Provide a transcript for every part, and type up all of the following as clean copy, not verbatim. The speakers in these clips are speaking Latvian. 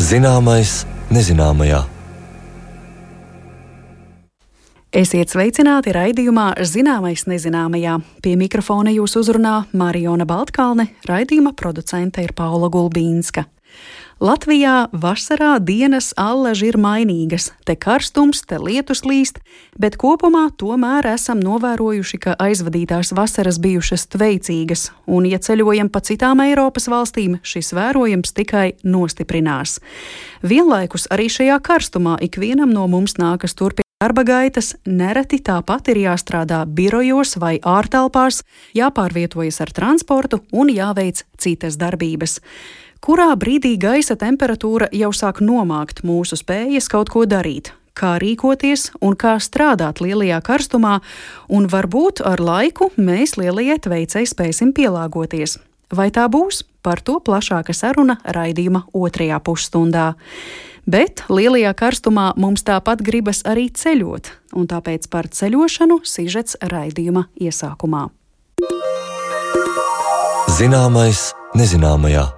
Zināmais nezināmajā. Esiet sveicināti raidījumā Zināmais nezināmajā. Pie mikrofona jūs uzrunā Marijona Baltkalne, raidījuma producente ir Paula Gulbīnska. Latvijā vasarā dienas allaži ir mainīgas, te karstums, te lietus līst, bet kopumā tomēr esam novērojuši, ka aizvadītās vasaras bijušas tveicīgas, un, ja ceļojam pa citām Eiropas valstīm, šis vērojums tikai nostiprinās. Vienlaikus arī šajā karstumā ikvienam no mums nākas turpināt darba gaitas, nereti tāpat ir jāstrādā birojos vai ārtelpās, jāpārvietojas ar transportu un jāveic citas darbības. Kurā brīdī gaisa temperatūra jau sāk nomākt mūsu spējas kaut ko darīt, kā rīkoties un kā strādāt lielajā karstumā, un varbūt ar laiku mēs lielajai tveicei spēsim pielāgoties. Vai tā būs? Par to plašāka saruna raidījuma otrajā pusstundā. Bet lielajā karstumā mums tāpat gribas arī ceļot, un tāpēc par ceļošanu sižets raidījuma iesākumā. Zināmais nezināmajā.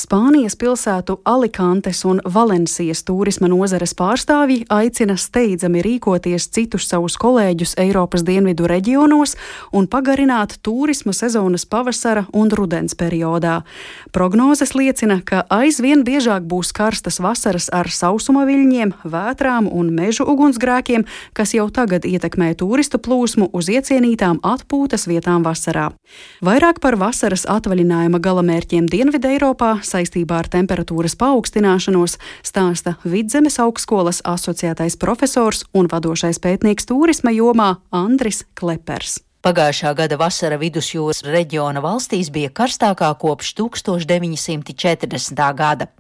Spānijas pilsētu Alicantes un Valencijas turisma nozares pārstāvji aicina steidzami rīkoties citus savus kolēģus Eiropas dienvidu reģionos un pagarināt turisma sezonas pavasara un rudens periodā. Prognozes liecina, ka aizvien biežāk būs karstas vasaras ar sausuma viļņiem, vētrām un mežu ugunsgrēkiem, kas jau tagad ietekmē turistu plūsmu uz iecienītām atpūtas vietām vasarā. Vairāk par vasaras atvaļinājuma galamērķiem Dienvidu Eiropā saistībā ar temperatūras paaugstināšanos stāsta Vidzemes augstskolas asociētais profesors un vadošais pētnieks turisma jomā Andris Klepers. Pagājušā gada vasara vidusjūras reģiona valstīs bija karstākā kopš 1940. gada.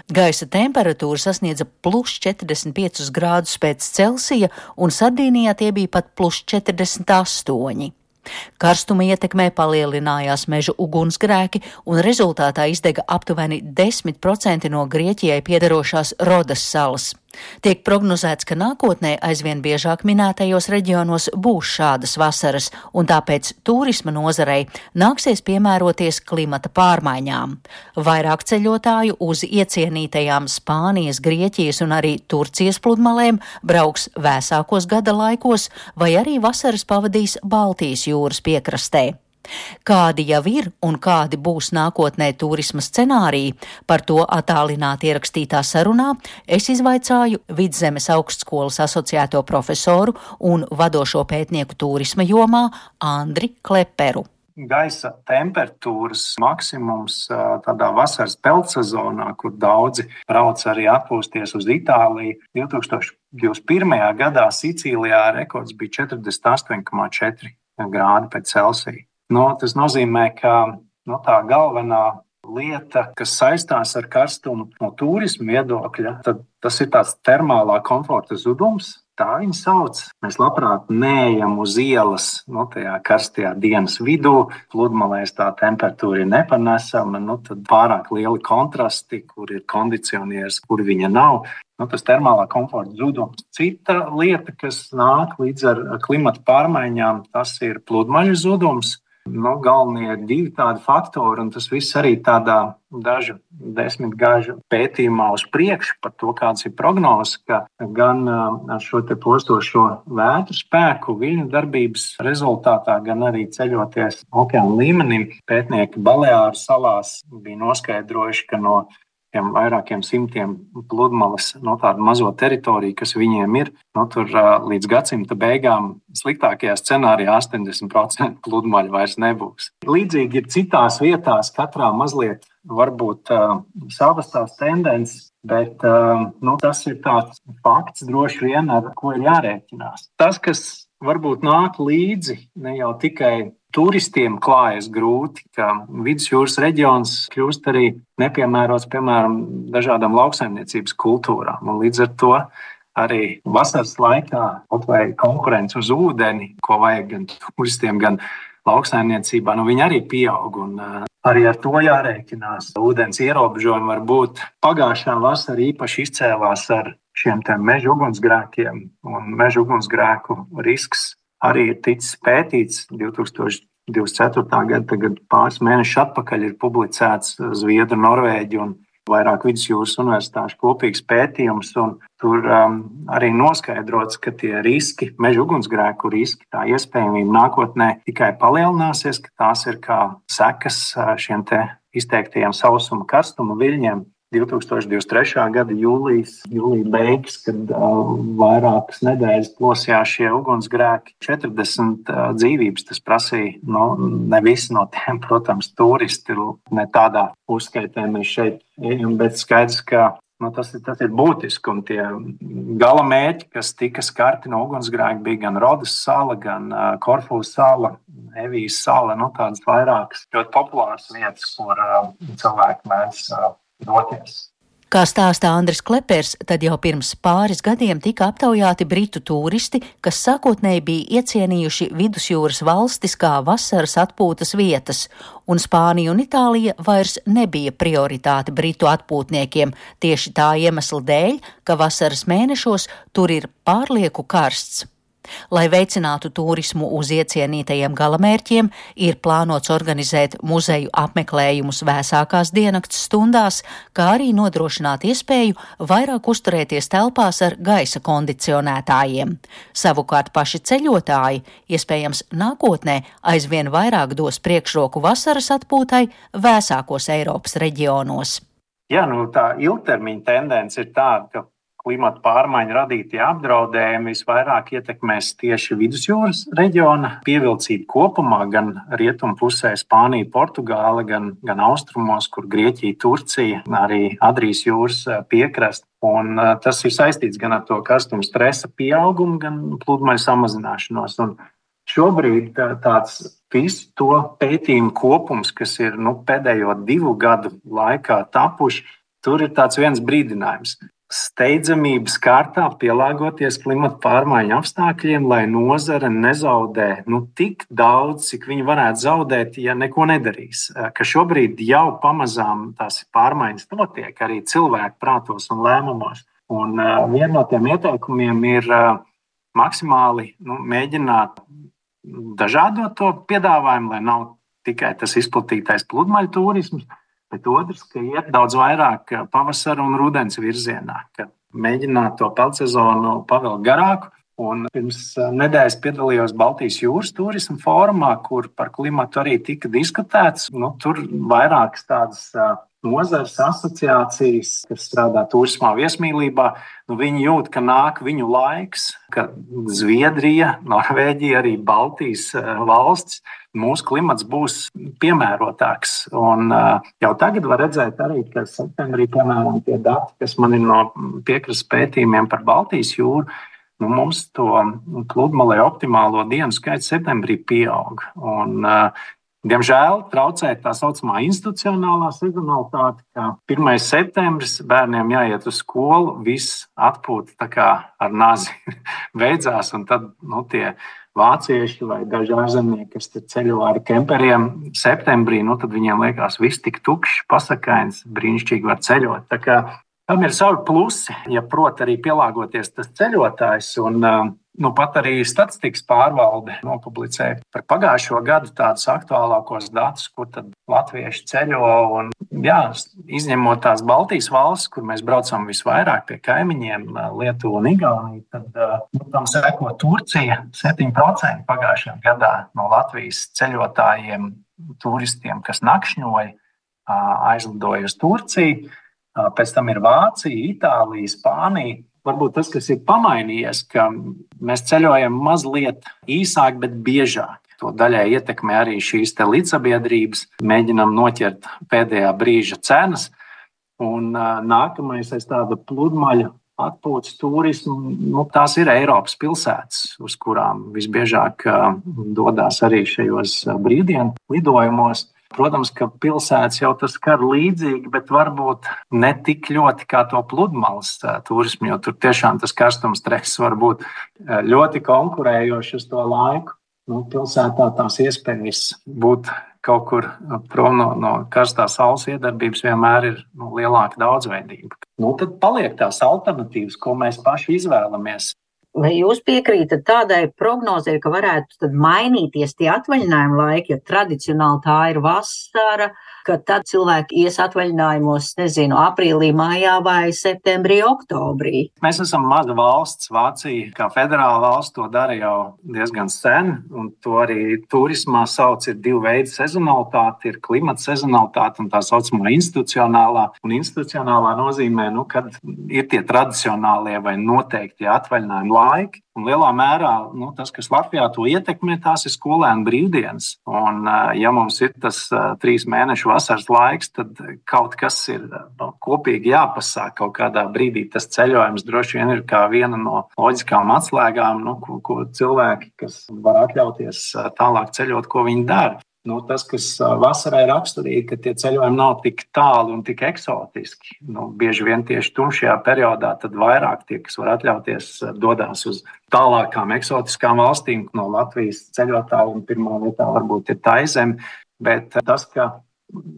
Gaisa temperatūra sasniedza +45 grādus pēc Celsija, un Sardīnijā tie bija pat +48. Karstuma ietekmē palielinājās mežu ugunsgrēki, un rezultātā izdega aptuveni 10% no Grieķijai piederošās Rodas salas. Tiek prognozēts, ka nākotnē aizvien biežāk minētajos reģionos būs šādas vasaras, un tāpēc turisma nozarei nāksies piemēroties klimata pārmaiņām. Vairāk ceļotāju uz iecienītajām Spānijas, Grieķijas un arī Turcijas pludmalēm brauks vēsākos gada laikos, vai arī vasaras pavadīs Baltijas jūras piekrastē. Kādi jau ir un kādi būs nākotnē turisma scenāriji, par to attālināti ierakstītā sarunā es izvaicāju Vidzemes augstskolas asociēto profesoru un vadošo pētnieku turisma jomā Andri Kleperu. Gaisa temperatūras maksimums tādā vasaras peldsezonā, kur daudzi brauc arī atpūsties uz Itāliju, 2021. gadā Sicīlijā rekords bija 48,4 grādi pēc Celsija. Tas nozīmē, ka tā galvenā lieta, kas saistās ar karstumu no turisma viedokļa, tad tas ir tāds termālā komforta zudums. Tā viņa sauc. Mēs labprāt neejam uz ielas tajā karstajā dienas vidū, pludmalēs tā temperatūra ir nepanesama, tad pārāk lieli kontrasti, kur ir kondicionieris, kur viņa nav. Tas termālā komforta zudums. Cita lieta, kas nāk līdz ar klimata pārmaiņām, tas ir pludmaļu zudums. Galvenie ir divi tādi faktori, un tas viss arī tādā dažu desmitgažu pētījumā uz priekšu par to, kāds ir prognozes, ka gan ar šo te postošo vētru spēku, viļņu darbības rezultātā, gan arī ceļoties okeāna līmenī, pētnieki Baleāru salās bija noskaidrojuši, ka no vairākiem simtiem pludmales tādu mazo teritoriju, kas viņiem ir, tur līdz gadsimta beigām sliktākajā scenārijā 80% pludmaļu vairs nebūs. Līdzīgi ir citās vietās, katrā mazliet varbūt savas tās tendences, bet tas ir tāds fakts droši vien, ar ko ir jārēķinās. Tas, kas varbūt nāk līdzi, ne jau tikai turistiem klājas grūti, ka vidusjūras reģions kļūst arī nepiemērots, piemēram, dažādām lauksaimniecības kultūrām. Un līdz ar to arī vasaras laikā kaut vai konkurence uz ūdeni, ko vajag gan turistiem, gan lauksaimniecībā, viņi arī pieaug. Un arī ar to jārēķinās. Ūdens ierobežojumi var būt. Pagājušā vasara īpaši izcēlās ar šiem meža ugunsgrēkiem, un meža ugunsgrēku risks arī ir ticis pētīts 2020. 24. gada, tagad pāris mēnešus atpakaļ ir publicēts Zviedru, Norvēģu un vairāk vidusjūras universitāšu kopīgs pētījums, un tur arī noskaidrots, ka tie riski, meža ugunsgrēku riski, tā iespējamība nākotnē tikai palielināsies, ka tās ir kā sekas šiem te izteiktajiem sausuma karstuma viļņiem. 2023. gada jūlija beigas, kad vairākas nedēļas plosījās šie ugunsgrēki, 40 dzīvības tas prasīja. Ne visi no tiem, protams, turisti, ne tādā uzskaitē mēs šeit ejam, bet skaidrs, ka tas ir būtiski. Un tie gala mērķi, kas tika skarti no ugunsgrēka, bija gan Rodas sala, gan Korfu sala, Evijas sala, tādas vairākas ļoti populāras vietas, kur cilvēki mēdz doties. Kā stāsta Andris Klepers, tad jau pirms pāris gadiem tika aptaujāti britu turisti, kas sākotnēji bija iecienījuši vidusjūras valstis kā vasaras atpūtas vietas, un Spānija un Itālija vairs nebija prioritāte britu atpūtniekiem tieši tā iemesla dēļ, ka vasaras mēnešos tur ir pārlieku karsts. Lai veicinātu turismu uz iecienītajiem galamērķiem, ir plānots organizēt muzeju apmeklējumus vēsākās diennakts stundās, kā arī nodrošināt iespēju vairāk uzturēties telpās ar gaisa kondicionētājiem. Savukārt paši ceļotāji, iespējams nākotnē, aizvien vairāk dos priekšroku vasaras atpūtai vēsākos Eiropas reģionos. Jā, tā ilgtermiņa tendence ir tāda, ka klimata pārmaiņu radītie apdraudējumi visvairāk ietekmēs tieši vidusjūras reģiona pievilcību kopumā, gan rietumu pusē Spānija, Portugāla, gan austrumos, kur Grieķija, Turcija, arī Adrijas jūras piekrasta. Un tas ir saistīts gan ar to karstuma stresa pieaugumu, gan pludmaļu samazināšanos. Un šobrīd tāds visu to pētījumu kopums, kas ir pēdējo 2 gadu laikā tapuši, tur ir tāds viens brīdinājums. Steidzamības kārtā pielāgoties klimata pārmaiņu apstākļiem, lai nozare nezaudē tik daudz, cik viņi varētu zaudēt, ja neko nedarīs. Ka šobrīd jau pamazām tās pārmaiņas notiek arī cilvēku prātos un lēmumos. Un viena no tiem ieteikumiem ir maksimāli mēģināt dažādot to piedāvājumu, lai nav tikai tas izplatītais pludmaļu turisms, bet otrs, ka iet daudz vairāk pavasara un rudens virzienā, ka mēģināt to peldsezonu pavilkt garāku. Un pirms nedēļas piedalījos Baltijas jūras turisma fórumā, kur par klimatu arī tika diskutēts. Tur vairākas tādas nozares asociācijas, kas strādā turismā viesmīlībā, viņi jūt, ka nāk viņu laiks, ka Zviedrija, Norvēģija, arī Baltijas valstis, mūsu klimats būs piemērotāks. Un jau tagad var redzēt arī, ka septembrī, piemēram, tie dati, kas man ir no piekrastes pētījumiem par Baltijas jūru, mums to pludmalē optimālo dienu skaits septembrī pieaug. Un diemžēl traucē tā saucamā institucionālā sezonalitāte, ka 1. septembris bērniem jāiet uz skolu, viss atpūta tā kā ar nazi beidzās, un tad tie vācieši vai daži ārzemnieki, kas ceļo ar kemperiem septembrī, tad viņiem liekas viss tik tukšs, pasakains, brīnišķīgi var ceļot. Tā kā tam ir savi plusi, ja prot arī pielāgoties tas ceļotājs, un pat arī statistikas pārvalde nopublicēja par pagājušo gadu tādus aktuālākos datus, kur tad latvieši ceļo, un izņemot tās Baltijas valstis, kur mēs braucam visvairāk pie kaimiņiem, Lietuva un Igaunija, tad tam seko Turcija, 7% pagājušajā gadā no Latvijas ceļotājiem, turistiem, kas nakšņoja, aizlidoja uz Turciju. Pēc tam ir Vācija, Itālija, Spānija. Varbūt tas, kas ir pamainījies, ka mēs ceļojam mazliet īsāk, bet biežāk. To daļai ietekmē arī šīs līdzsabiedrības. Mēģinam noķert pēdējā brīža cenas. Un nākamais aiz tāda pludmaļu atpūtas turismu, tās ir Eiropas pilsētas, uz kurām visbiežāk dodās arī šajos brīvdienu lidojumos. Protams, ka pilsētas jau tas skar līdzīgi, bet varbūt ne tik ļoti kā to pludmales turismu, jo tur tiešām tas karstums stress var būt ļoti konkurējoši uz to laiku. Pilsētā tās iespējas būt kaut kur prom no karstās saules iedarbības vienmēr ir lielāka daudzveidība. Tad paliek tās alternatīvas, ko mēs paši izvēlamies. Vai jūs piekrītat tādai prognozei, ka varētu tad mainīties tie atvaļinājuma laiki, jo tradicionāli tā ir vasara, ka tad cilvēki ies atvaļinājumos, nezinu, aprīlī, mājā vai septembrī, oktobrī? Mēs esam maza valsts. Vācija, kā federāla valsts, to dara jau diezgan sen, un to arī turismā sauc ir divi veidi sezonalitāte, ir klimata sezonalitāte un tā saucamā institucionālā. Un institucionālā nozīmē, kad ir tie tradicionālie vai noteikti atvaļinājumi laiki. Un lielā mērā tas, kas Latvijā to ietekmē, tās ir skolēnu brīvdienas. Un, ja mums ir tas 3 mēnešu vasaras laiks, tad kaut kas ir kopīgi jāpasāk. Kaut kādā brīdī tas ceļojums droši vien ir kā viena no loģiskām atslēgām, ko cilvēki, kas var atļauties tālāk ceļot, ko viņi dara. Tas, kas vasarai raksturīgi, ka tie ceļojumi nav tik tāli un tik eksotiski. Bieži vien tieši tumšajā periodā tad vairāk tie, kas var atļauties, dodās uz tālākām eksotiskām valstīm. No Latvijas ceļotāji un pirmā vietā varbūt ir Taizeme, bet tas, ka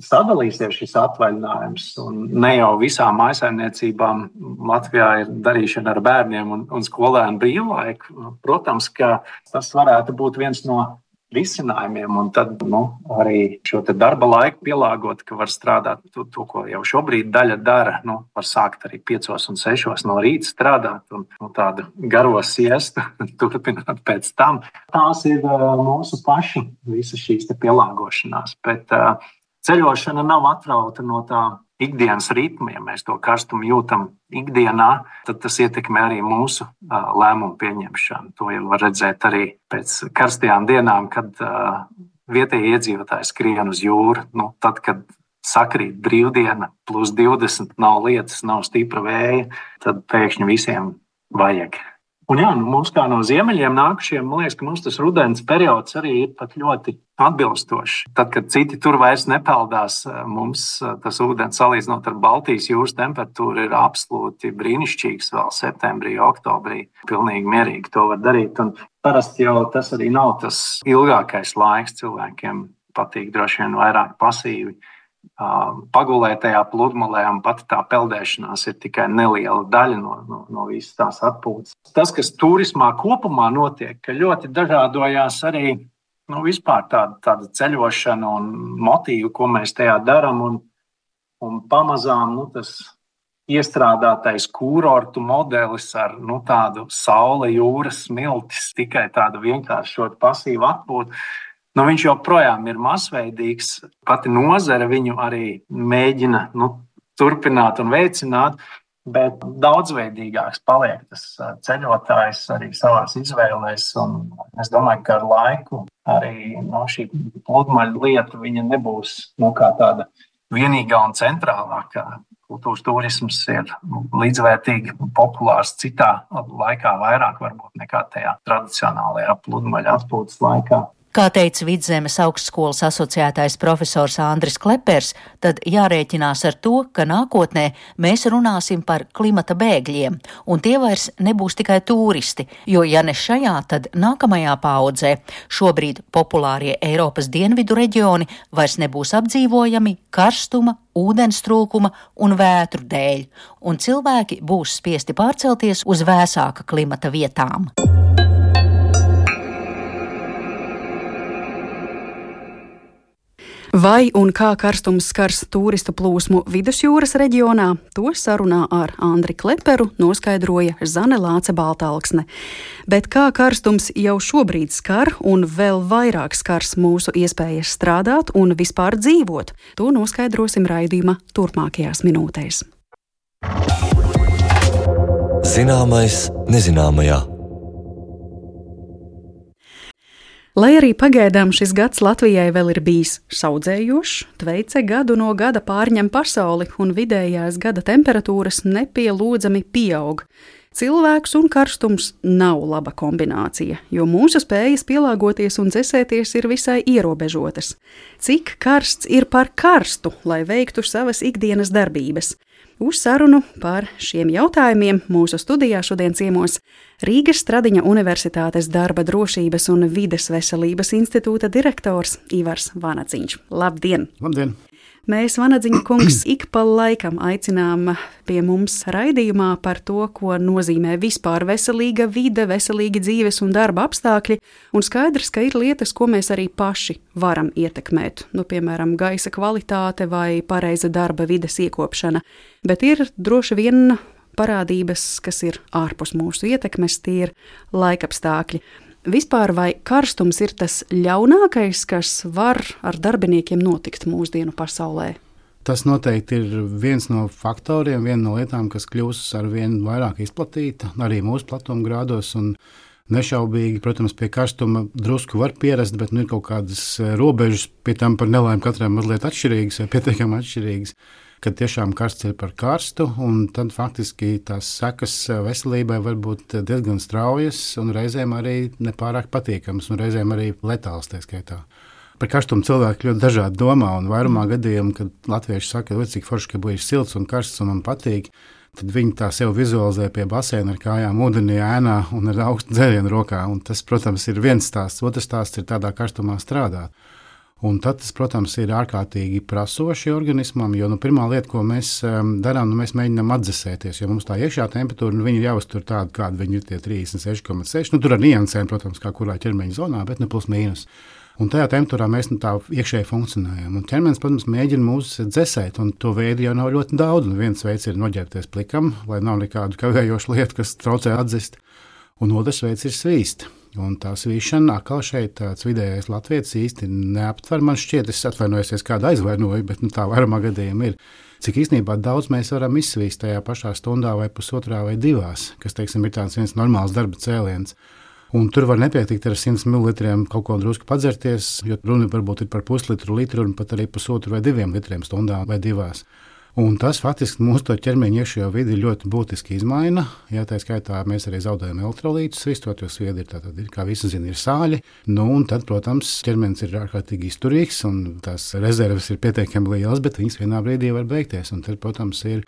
sadalīsies šis atvaļinājums un ne jau visām mājsaimniecībām Latvijā ir darīšana ar bērniem un skolēnu brīvlaiku, protams, ka tas varētu būt viens no risinājumiem, un tad arī šo darba laiku pielāgot, ka var strādāt to, ko jau šobrīd daļa dara. Var sākt arī 5 un 6 no rīta strādāt un tādu garo siestu turpināt pēc tam. Tās ir mūsu paši visas šīs pielāgošanās, bet ceļošana nav atrauta no tā ikdienas ritma. Ja mēs to karstumu jūtam ikdienā, tad tas ietekmē arī mūsu lēmumu pieņemšanu. To jau var redzēt arī pēc karstajām dienām, kad vietējie iedzīvotāji skrien uz jūru. Tad, kad sakrīt brīvdiena, plus 20, nav lietas, nav stipra vēja, tad pēkšņi visiem vajag. Un mums kā no ziemeļiem nākušiem, man liekas, ka mums tas rudens periods arī ir pat ļoti atbilstošs. Tad, kad citi tur vairs nepeldās, mums tas ūdens salīdzinot ar Baltijas jūras temperatūru ir absolūti brīnišķīgs vēl septembrī, oktobrī. Pilnīgi mierīgi to var darīt. Un parasti jau tas arī nav tas ilgākais laiks. Cilvēkiem patīk droši vien vairāk pasīvi pagulēt tajā pludmalē, un pat tā peldēšanās ir tikai neliela daļa no visas tās atpūtas. Tas, kas turismā kopumā notiek, ka ļoti dažādojās arī vispār tāda ceļošana un motīvu, ko mēs tajā darām, un pamazām tas iestrādātais kūrortu modelis ar tādu saule, jūras smiltis, tikai tādu vienkāršot pasīvu atpūtu. Viņš joprojām ir masveidīgs. Pati nozare viņu arī mēģina turpināt un veicināt, bet daudzveidīgāks paliek tas ceļotājs arī savās izvēlēs. Un es domāju, ka ar laiku arī šī pludmaļu lieta viņa nebūs kā tāda vienīgā un centrālākā. Kultūras turisms ir līdzvērtīgi populārs citā laikā vairāk varbūt nekā tajā tradicionālajā pludmaļu atpūtas laikā. Kā teica Vidzemes augstskolas asociētais profesors Andris Klepers, tad jārēķinās ar to, ka nākotnē mēs runāsim par klimata bēgļiem, un tie vairs nebūs tikai turisti, jo ja ne šajā, tad nākamajā paaudzē šobrīd populārie Eiropas dienvidu reģioni vairs nebūs apdzīvojami karstuma, ūdens trūkuma un vētru dēļ, un cilvēki būs spiesti pārcelties uz vēsāka klimata vietām. Vai un kā karstums skars turistu plūsmu Vidusjūras reģionā, to sarunā ar Andri Kleperu noskaidroja Zane Lāce Baltalksne. Bet kā karstums jau šobrīd skar un vēl vairāk skars mūsu iespējas strādāt un vispār dzīvot, to noskaidrosim raidījuma turpmākajās minūtēs. Zināmais nezināmajā. Lai arī pagaidām šis gads Latvijai vēl ir bijis saudzējošs, Tveice gadu no gada pārņem pasauli un vidējās gada temperatūras nepielūdzami pieaug. Cilvēks un karstums nav laba kombinācija, jo mūsu spējas pielāgoties un dzesēties ir visai ierobežotas. Cik karsts ir par karstu, lai veiktu savas ikdienas darbības? Uz sarunu par šiem jautājumiem mūsu studijā šodien ciemos Rīgas Stradiņa Universitātes darba drošības un vides veselības institūta direktors Ivars Vanadziņš. Labdien! Labdien! Mēs, Vanadziņa kungs, ik pa laikam aicinām pie mums raidījumā par to, ko nozīmē vispār veselīga vide, veselīgi dzīves un darba apstākļi, un skaidrs, ka ir lietas, ko mēs arī paši varam ietekmēt, piemēram, gaisa kvalitāte vai pareiza darba vides iekopšana, bet ir droši vien parādības, kas ir ārpus mūsu ietekmes, tie ir laikapstākļi. Vispār vai karstums ir tas ļaunākais, kas var ar darbiniekiem notikt mūsdienu pasaulē? Tas noteikti ir viens no faktoriem, viena no lietām, kas kļūst ar vien vairāk izplatīta, arī mūsu platumgrādos. Nešaubīgi, protams, pie karstuma drusku var pierast, bet ir kaut kādas robežas, pie tam par nelaimi katram mazliet atšķirīgas vai pietiekami atšķirīgas, kad tiešām karsts ir par karstu, un tad faktiski tās sekas veselībai var būt diezgan straujas un reizēm arī nepārāk patīkamas, un reizēm arī letāls tā skaitā. Par karstumu cilvēki ļoti dažādi domā, un vairumā gadījumu, kad latvieši saka, cik forši, ka būs silts un karsts un man patīk, tad viņi tā sev vizualizē pie baseina ar kājām ūdenī, ēnā un ar augstu dzērienu rokā. Un tas, protams, ir viens stāsts. Otrs stāsts ir tādā karstumā strādāt. Un tad tas, protams, ir ārkārtīgi prasoši organismam, jo pirmā lieta, ko mēs darām, mēs mēģinām atdzesēties, jo mums tā iekšā temperatūra, viņi ir jāuztur tāda, kāda viņi ir tie 36,6. Tur ar niansēm, protams, kā kurā ķermeņa zonā, bet plus mīnus. Un tajā temperatūrā mēs tā iekšēji funkcionējam. Un ķermenis, protams, mēģina mūs dzesēt, un to veidu jau nav ļoti daudz. Un viens veids ir noģērbties plikam, lai nav nekādu kavējošu lietu, kas traucē atzist. Un otrs veids ir svīst. Un tā svīšana atkal šeit tāds vidējais latvietis īsti neaptver. Man šķiet, es atvainojos, kādu aizvainoju, bet tā vairumā gadījumā ir. Cik īstenībā daudz mēs varam izsvīst tajā pašā stundā vai pusotrā vai divās, kas, teiksim, ir tāds viens normāls darba cēliens. Un tur var nepietikt ar 100 ml kaut ko drusku padzerties, jo runa varbūt ir par puslitru, litru un pat arī pusotru vai 2 litriem stundā vai divās. Un tas faktiski mūsu ķermeņa iekšējo vidi ļoti būtiski izmaina. Jā, tā skaitā mēs arī zaudējam elektrolītus, svistot, jo sviedri ir, kā visi zina, ir sāļi. Un tad, protams, ķermenis ir ārkārtīgi izturīgs un tās rezerves ir pietiekami lielas, bet viņas vienā brīdī var beigties. Un tad, protams, ir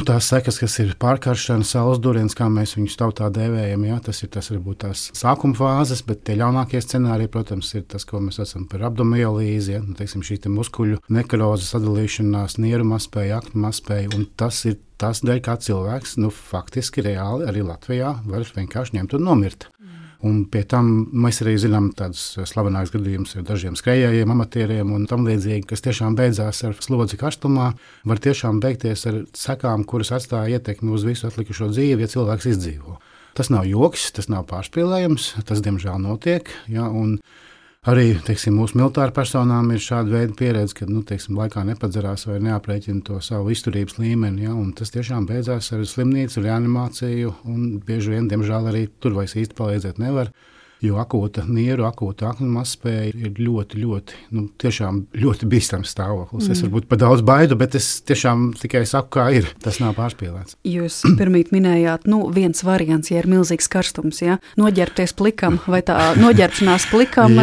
tās sekas, kas ir pārkaršana, saules duriens, kā mēs viņus tautā dēvējam, jā, tas varbūt tās sākuma fāzes, bet tie ļaunākie scenāriji, protams, ir tas, ko mēs saucam par abdomiolīzi, ja, teiksim, šī muskuļu nekroza sadalīšanās, nieru mazspēja, aknu mazspēja, un tas ir tas dēļ, kā cilvēks, faktiski reāli arī Latvijā var vienkārši ņemt un nomirt. Un pie tam mēs arī zinām tādus slavenākus gadījumus ar dažiem skrejējiem, amatieriem un tam līdzīgi, kas tiešām beidzās ar slodzi karstumā, var tiešām beigties ar sekām, kuras atstāja ietekmi uz visu atlikušo dzīvi, ja cilvēks izdzīvo. Tas nav joks, tas nav pārspīlējums, tas diemžēl notiek, ja, un arī, teiksim, mūsu militāru personām ir šāda veida pieredze, kad, laikā nepadzerās vai neaprēķina to savu izturības līmeni, ja, un tas tiešām beidzās ar slimnīcu, reanimāciju, un bieži vien, diemžēl, arī tur vairs īsti palīdzēt nevar, jo akūta nieru, akūta aknu mazspēja ir ļoti, tiešām ļoti bīstams stāvoklis. Es varbūt par daudz baidu, bet es tiešām tikai saku, kā ir. Tas nav pārspīlēts. Jūs pirmīt minējāt, viens variants, ja ir milzīgs karstums, ja? Noģērbties plikam, vai tā noģērbšanās plikam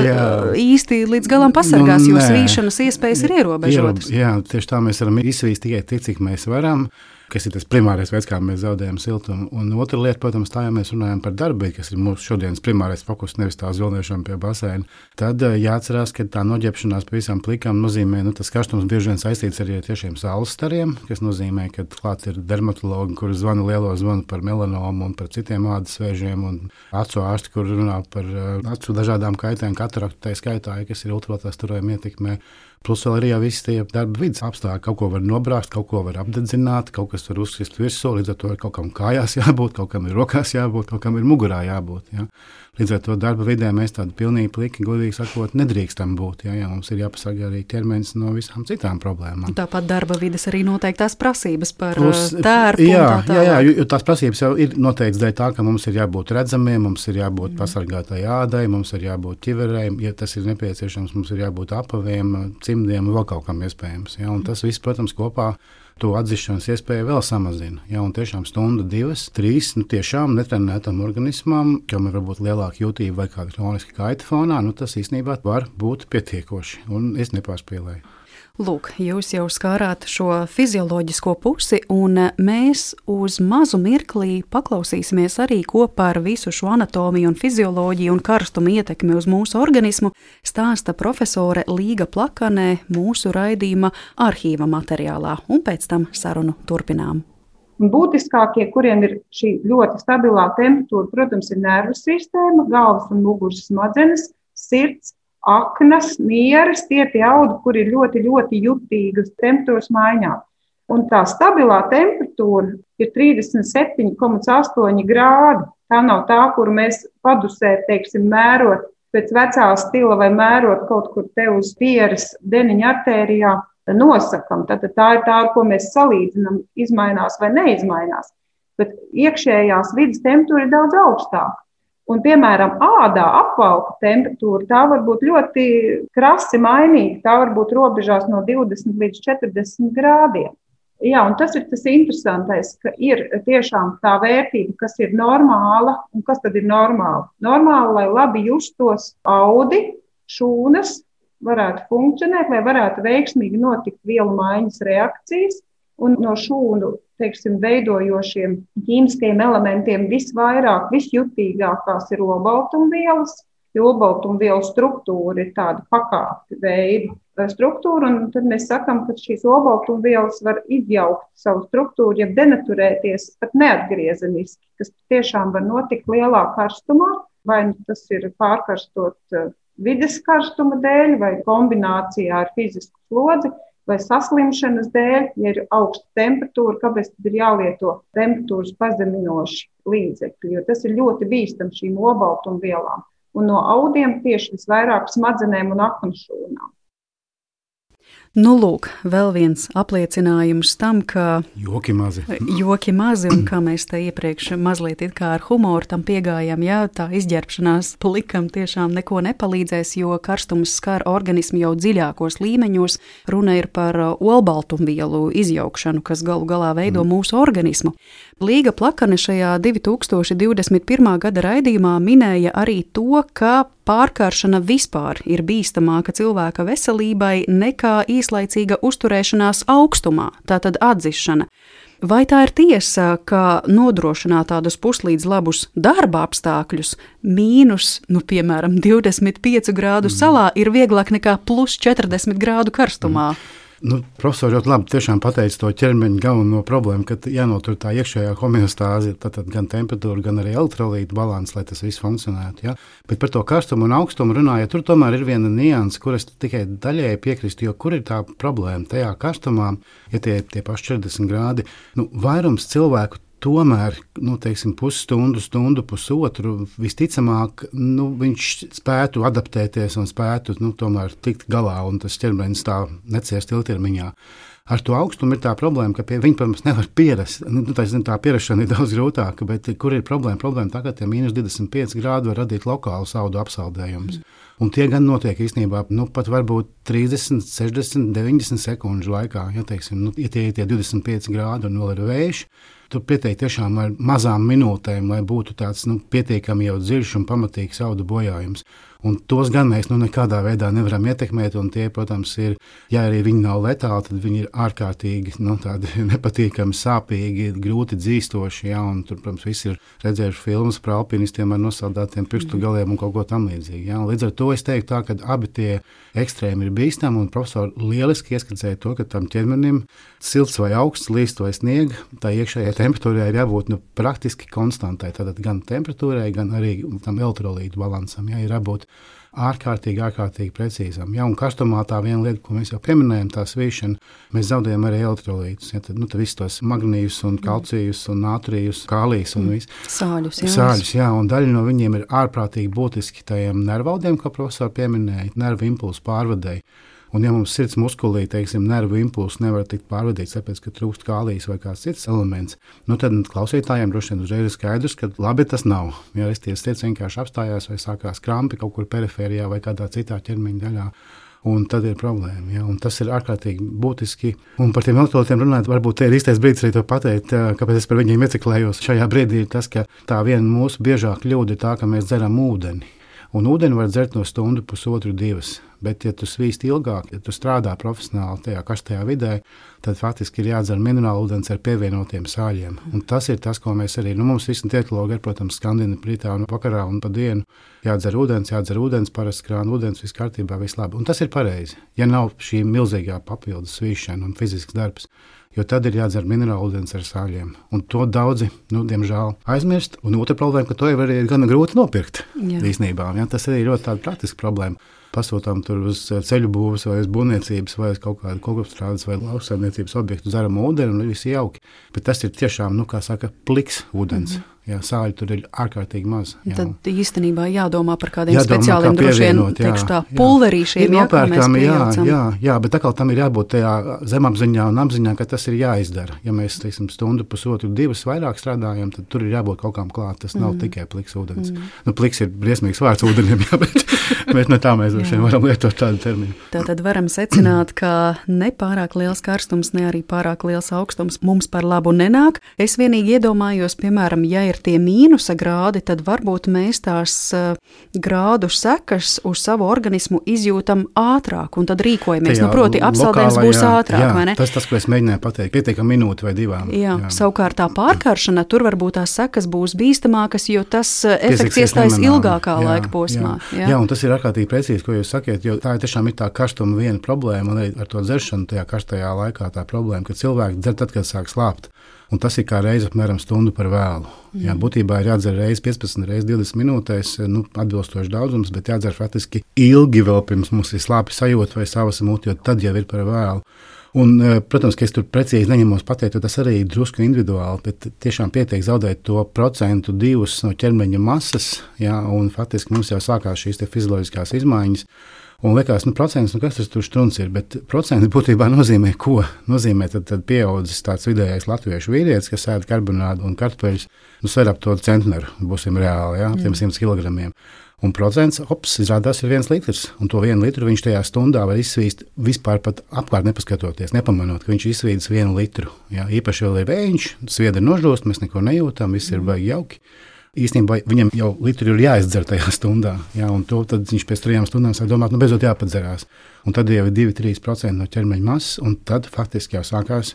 īsti līdz galam pasargās, jo svīšanas iespējas ir ierobežotas. Jā, tieši tā mēs varam izsvīst tikai tik, cik mēs varam, kas ir tas primārais veids, kā mēs zaudējam siltumu. Un otra lieta, protams, tā, ja mēs runājam par darbu, kas ir mūsu šodienas primārais fokus, nevis tā zilniešana pie baseina, tad jāatcerās, ka tā noģērbšanās pavisam plikām nozīmē, tas karstums bieži vien saistīts arī ar tiešiem saules stariem, kas nozīmē, ka klāt ir dermatologi, kuri zvana lielo zvanu par melanomu un par citiem ādas vēžiem, un acu ārsti, kur runā par acu dažādām kaitēm, kataraktu tā skaitā, kas ir ultravioletās starojuma ietekmē. Plus vēl arī visi tie darba vidas apstākļi. Kaut ko var nobrāzt, kaut ko var apdedzināt, kaut kas var uzsist virsū, līdz ar to ir kaut kam kājās jābūt, kaut kam ir rokās jābūt, kaut kam ir mugurā jābūt. Ja? Līdz ar to darba vidē mēs tādi pilnīgi pliki, godīgi sakot, nedrīkstam būt. Ja mums ir jāpasargā arī ķermenis no visām citām problēmām. Tāpat darba vides arī noteiktās prasības par tērpu. Jā, jo tās prasības jau ir noteikts dēļ tā, ka mums ir jābūt redzamiem, mums ir jābūt pasargātai ādai, mums ir jābūt ķiverēm, ja tas ir nepieciešams, mums ir jābūt apaviem, cimdiem un vēl kaut kam iespējams. Ja? Un tas viss, protams, kopā to atzīšanas iespēju vēl samazina. Ja? Un tiešām stundu, 2, 3, tiešām netrenētam organismam, kam ir varbūt lielāka jūtība vai kāda kroniska kaita fonā, tas īstenībā var būt pietiekoši. Un es nepārspīlēju. Lūk, jūs jau skārāt šo fizioloģisko pusi, un mēs uz mazu mirklī paklausīsimies arī, ko par visu šo anatomiju un fizioloģiju un karstumu ietekmi uz mūsu organismu stāsta profesore Līga Plakanē mūsu raidījuma arhīva materiālā, un pēc tam sarunu turpinām. Būtiskākie, kuriem ir šī ļoti stabilā temperatūra, protams, ir nervu sistēma, galvas un muguras smadzenes, sirds, aknas, nieres, tie audi, kur ir ļoti, ļoti jutīgas temperatūras maiņā. Un tā stabilā temperatūra ir 37,8 grādi. Tā nav tā, kuru mēs padusē, mērot pēc vecā stila vai mērot kaut kur te uz pieres deniņa artērijā nosakam. Tad tā ir tā, ar ko mēs salīdzinām, izmainās vai neizmainās. Bet iekšējās vidas temperatūra ir daudz augstāka. Un, piemēram, ādā apvalka temperatūra, tā var būt ļoti krasi mainīga. Tā var būt robežās no 20 līdz 40 grādiem. Jā, un tas ir tas interesantais, ka ir tiešām tā vērtība, kas ir normāla un kas tad ir normāla. Normāla, lai labi justos audi, šūnas varētu funkcionēt, lai varētu veiksmīgi notikt vielu maiņas reakcijas. Un no šūnu, veidojošiem ķīmiskajiem elementiem visvairāk, visjutīgākās ir olbaltumvielas, jo olbaltumvielu struktūra ir tāda pakāpju veida struktūra, un tad mēs sakam, ka šīs olbaltumvielas var izjaukt savu struktūru, ja denaturēties pat neatgriezeniski, kas tiešām var notikt lielā karstumā, vai tas ir pārkarstot vides karstuma dēļ, vai kombinācijā ar fizisku slodzi, vai saslimšanas dēļ, ja ir augsta temperatūra, kāpēc tad ir jālieto temperatūras pazeminoši līdzekļi, jo tas ir ļoti bīstams šīm olbaltumvielām. Un no audiem tieši visvairāk smadzenēm un aknu šūnām. Nu, lūk, vēl viens apliecinājums tam, ka joki mazi, un kā mēs te iepriekš mazliet it kā ar humoru tam piegājām, jā, tā izģērbšanās plikam tiešām neko nepalīdzēs, jo karstums skar organismu jau dziļākos līmeņos. Runa ir par olbaltumvielu izjaukšanu, kas galu galā veido mūsu organismu. Līga Plakane šajā 2021. gada raidījumā minēja arī to, ka pārkaršana vispār ir bīstamāka cilvēka veselībai nekā īslaicīga uzturēšanās augstumā, tātad atdzišana. Vai tā ir tiesa, ka nodrošināt tādus puslīdz labus darba apstākļus mīnus, piemēram, 25 grādu salā ir vieglāk nekā plus 40 grādu karstumā? Profesori ļoti labi tiešām pateica to ķermeņa galveno problēmu, ka jānotur tā iekšējā homeostāze, tātad gan temperatūra, gan arī elektrolītu balans, lai tas viss funkcionētu. Ja? Bet par to karstumu un augstumu runājot, tur tomēr ir viena nianse, kur es tikai daļēji piekrīstu, jo kur ir tā problēma tajā karstumā, ja tie paši 40 grādi, vairums cilvēku tomēr, pusstundu, pusotru, visticamāk, viņš spētu adaptēties un spētu, tomēr tikt galā, un tas ķermenis tā neciest ilgtermiņā. Ar to augstumu ir tā problēma, ka pie viņa, protams, nevar pierast. Tā pierašana ir daudz grūtāka, bet kur ir problēma? Problēma tā, ka tie mīnus 25 grādi var radīt lokālu audu apsaldējumus. Un tie gan notiek īstenībā, pat varbūt 30, 60, 90 sekundžu laikā. Ja tie ir tie 25 grādi un vēl ir vējš, tur pieteikt tiešām ar mazām minūtēm, lai būtu tāds pietiekami jau dziļš un pamatīgs audu bojājums. Un tos gan mēs nekādā veidā nevaram ietekmēt, un tie, protams, ir, ja arī viņi nav letāli, tad viņi ir ārkārtīgi tādi nepatīkami, sāpīgi, grūti dzīstoši, ja, un tur, protams, visi ir redzējuši filmas par alpinistiem ar nosaldātiem pirkstu galiem un kaut ko tam līdzīgi. Ja. Līdz ar to es teiktu tā, ka abi tie ekstrēmi ir bīstami, un profesori lieliski ieskicēja to, ka tam ķermenim silts vai augsts, līst vai sniega, tā iekšējai temperatūrai ir jābūt praktiski konstantai, tātad gan temperatūrai, gan arī tam elektrolītu balansam, ja, ir jābūt ārkārtīgi precīzam. Ja, un karstumā tā viena lieta, ko mēs jau pieminējam, tā svīšana, mēs zaudējam arī elektrolītus. Ja, tad visus tos magnījus un kalcijus un natrijus, kālijus un visu. Sāļus, jā, un daļa no viņiem ir ārprātīgi būtiski tajiem nervaudiem, ko profesori pieminēja, nervu impulsu pārvadēji. Un, ja mums sirds muskulī, nervu impulsu nevar tikt pārvadīts, tāpēc, ka trūkst kālijas vai kāds cits elements, tad klausītājiem droši vien uzreiz ir skaidrs, ka labi tas nav. Ja sirds vienkārši apstājās vai sākās krampi kaut kur perifērijā vai kādā citā ķermeņa daļā. Un tad ir problēma. Ja? Un tas ir ārkārtīgi būtiski. Un par tiem elektrolītiem runājot, varbūt te ir īstais brīdis arī to pateikt, kāpēc es par viņiem ieciklējos. Šajā brīdī ir tas, ka tā viena mūsu biežā kļūda ir tā, ka mēs dzeram ūdeni. Un ūdeni var dzert no stundu, pusotru, 2. Bet, ja tu svīsti ilgāk, ja tu strādā profesionāli tajā karstajā vidē, tad faktiski ir jādzer minerālu ūdens ar pievienotiem sāļiem. Un tas ir tas, ko mēs arī, mums visi dietologi ir, protams, skandina rītā un vakarā un pa dienu. Jādzer ūdens, parasti krāna ūdens, viss kārtībā, viss labi. Un tas ir pareizi, ja nav šī milzīgā papildus svīšana un fizisks darbs. Jo tad ir jādzer minerālu ūdens ar sāļiem. Un to daudzi, diemžēl, aizmirst. Un otra problēma, ka to jau arī ir gana grūti nopirkt īstenībā. Ja? Tas arī ir ļoti tāda praktiska problēma. Pasūtām tur uz ceļu būvas vai uz būvniecības vai uz kaut kādu kokopstrādes vai lauksaimniecības objektu dzeram ūdeni un viss jauki. Bet tas ir tiešām, pliks ūdens. Jā, sāļu tur ir ārkārtīgi maz. Jā. Tad īstenībā jādomā par kādiem speciāliem, droši vien, pulverīšiem, kā mēs pieejam. Jā, bet atkal tam ir jābūt tajā zemapziņā un apziņā, ka tas ir jāizdara. Ja mēs, teiksim, stundu, pusotru, 2 vairāk strādājam, tad tur ir jābūt kaut kām klāt. Tas nav tikai pliks ūdens. Pliks ir briesmīgs vārds ūdenim, jā, bet ne tā mēs varam lietot tādu terminu. Tātad varam secināt, ka ne pārāk liels karstums, ne arī pārāk liels augstums mums par labu nenāk. Es vienīgi iedomājos, piemēram, ja ir tie mīnusa grādi, tad varbūt mēs tās grādu sekas uz savu organismu izjūtam ātrāk un tad rīkojamies. Proti, apsaldējums būs ātrāk, vai ne? Tas, ko es mēģināju pateikt, pietiekam minūti vai 2. Jā. Savukārt tā pārkaršana, tur varbūt tās sekas būs bīstamākas, jo tas efekts iestājas ilgākā laika posmā. Jā, un tas ir ārkārtīgi precīzi, ko jūs sakiet, jo tā tiešām ir tā karstuma viena problēma, un arī ar to dzeršanu tajā karstajā laikā tā problēma, ka cilvēki dzer tad, kad sāk slāpt. Un tas ir kā reize apmēram stundu par vēlu. Jā, būtībā ir jādzer reizi 15, reizi 20 minūtēs, atbilstoši daudzums, bet jādzer faktiski ilgi vēl pirms mums ir slāpju sajūta vai savas mūti, jo tad jau ir par vēlu. Un, protams, ka es tur precīzi neņemos pateikt, jo tas arī ir drusku individuāli, bet tiešām pietiek zaudēt to 1%-2% no ķermeņa masas, jā, un faktiski mums jau sākās šīs te fizioloģiskās izmaiņas. Un liekas, procents, kas tas tur štruns ir, bet procents būtībā nozīmē ko? Nozīmē tad pieaudzis tāds vidējais latviešu vīrietis, kas ēd karbonādu un kartupeļus, sver ap to centneru, būsim reāli, jā, tiem 100 kilogramiem. Un procents, izrādās ir 1 litrs, un to 1 litru viņš tajā stundā var izsvīst vispār pat apkārt nepaskatoties, nepamanot, ka viņš izsvīdis 1 litru. Jā, īpaši vēl ir vējš, sviedri nožūst, mēs neko nejūtam, viss ir baigi jauki. Īstenībā viņam jau litru ir jāizdzer tajā stundā, jā, un to tad viņš pēc 3 stundām sāk domāt, beidzot jāpadzerās. Un tad jau ir 2-3% no ķermeņa masas, un tad faktiski jau sākās,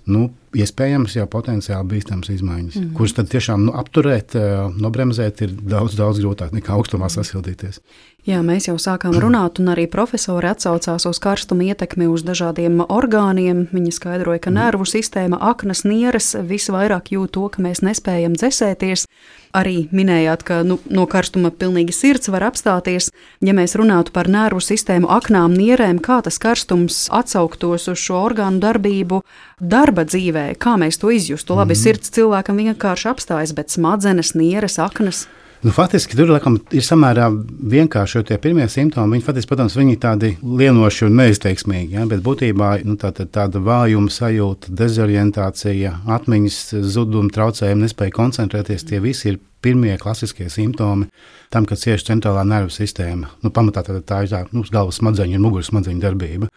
iespējams jau potenciāli bīstams izmaiņas, kuras tad tiešām apturēt, nobremzēt ir daudz grūtāk nekā augstumā sasildīties. Jā, mēs jau sākām runāt, un arī profesori atsaucās uz karstuma ietekmi uz dažādiem orgāniem. Viņa skaidroja, ka nervu sistēma, aknas, nieres visvairāk jūt to, ka mēs nespējam dzesēties. Arī minējāt, ka no karstuma pilnīgi sirds var apstāties. Ja mēs runātu par nervu sistēmu, aknām, nierēm, kā tas karstums atsauktos uz šo orgānu darbību darba dzīvē, kā mēs to izjustu? Labi, sirds cilvēkam vienkārši apstājas, bet smadzenes, nieres, aknas... Faktiski tur ir samērā vienkārši, jo tie pirmie simptomi, viņi faktiski, protams, viņi tādi lienoši un neizteiksmīgi, ja? Bet būtībā tāda vājuma sajūta, dezorientācija, atmiņas zuduma, traucējumi, nespēja koncentrēties, tie visi ir pirmie klasiskie simptomi tam, kad cieši centrālā nervu sistēma. Pamatā tā ir galvas smadzeņu un muguras smadzeņu darbība.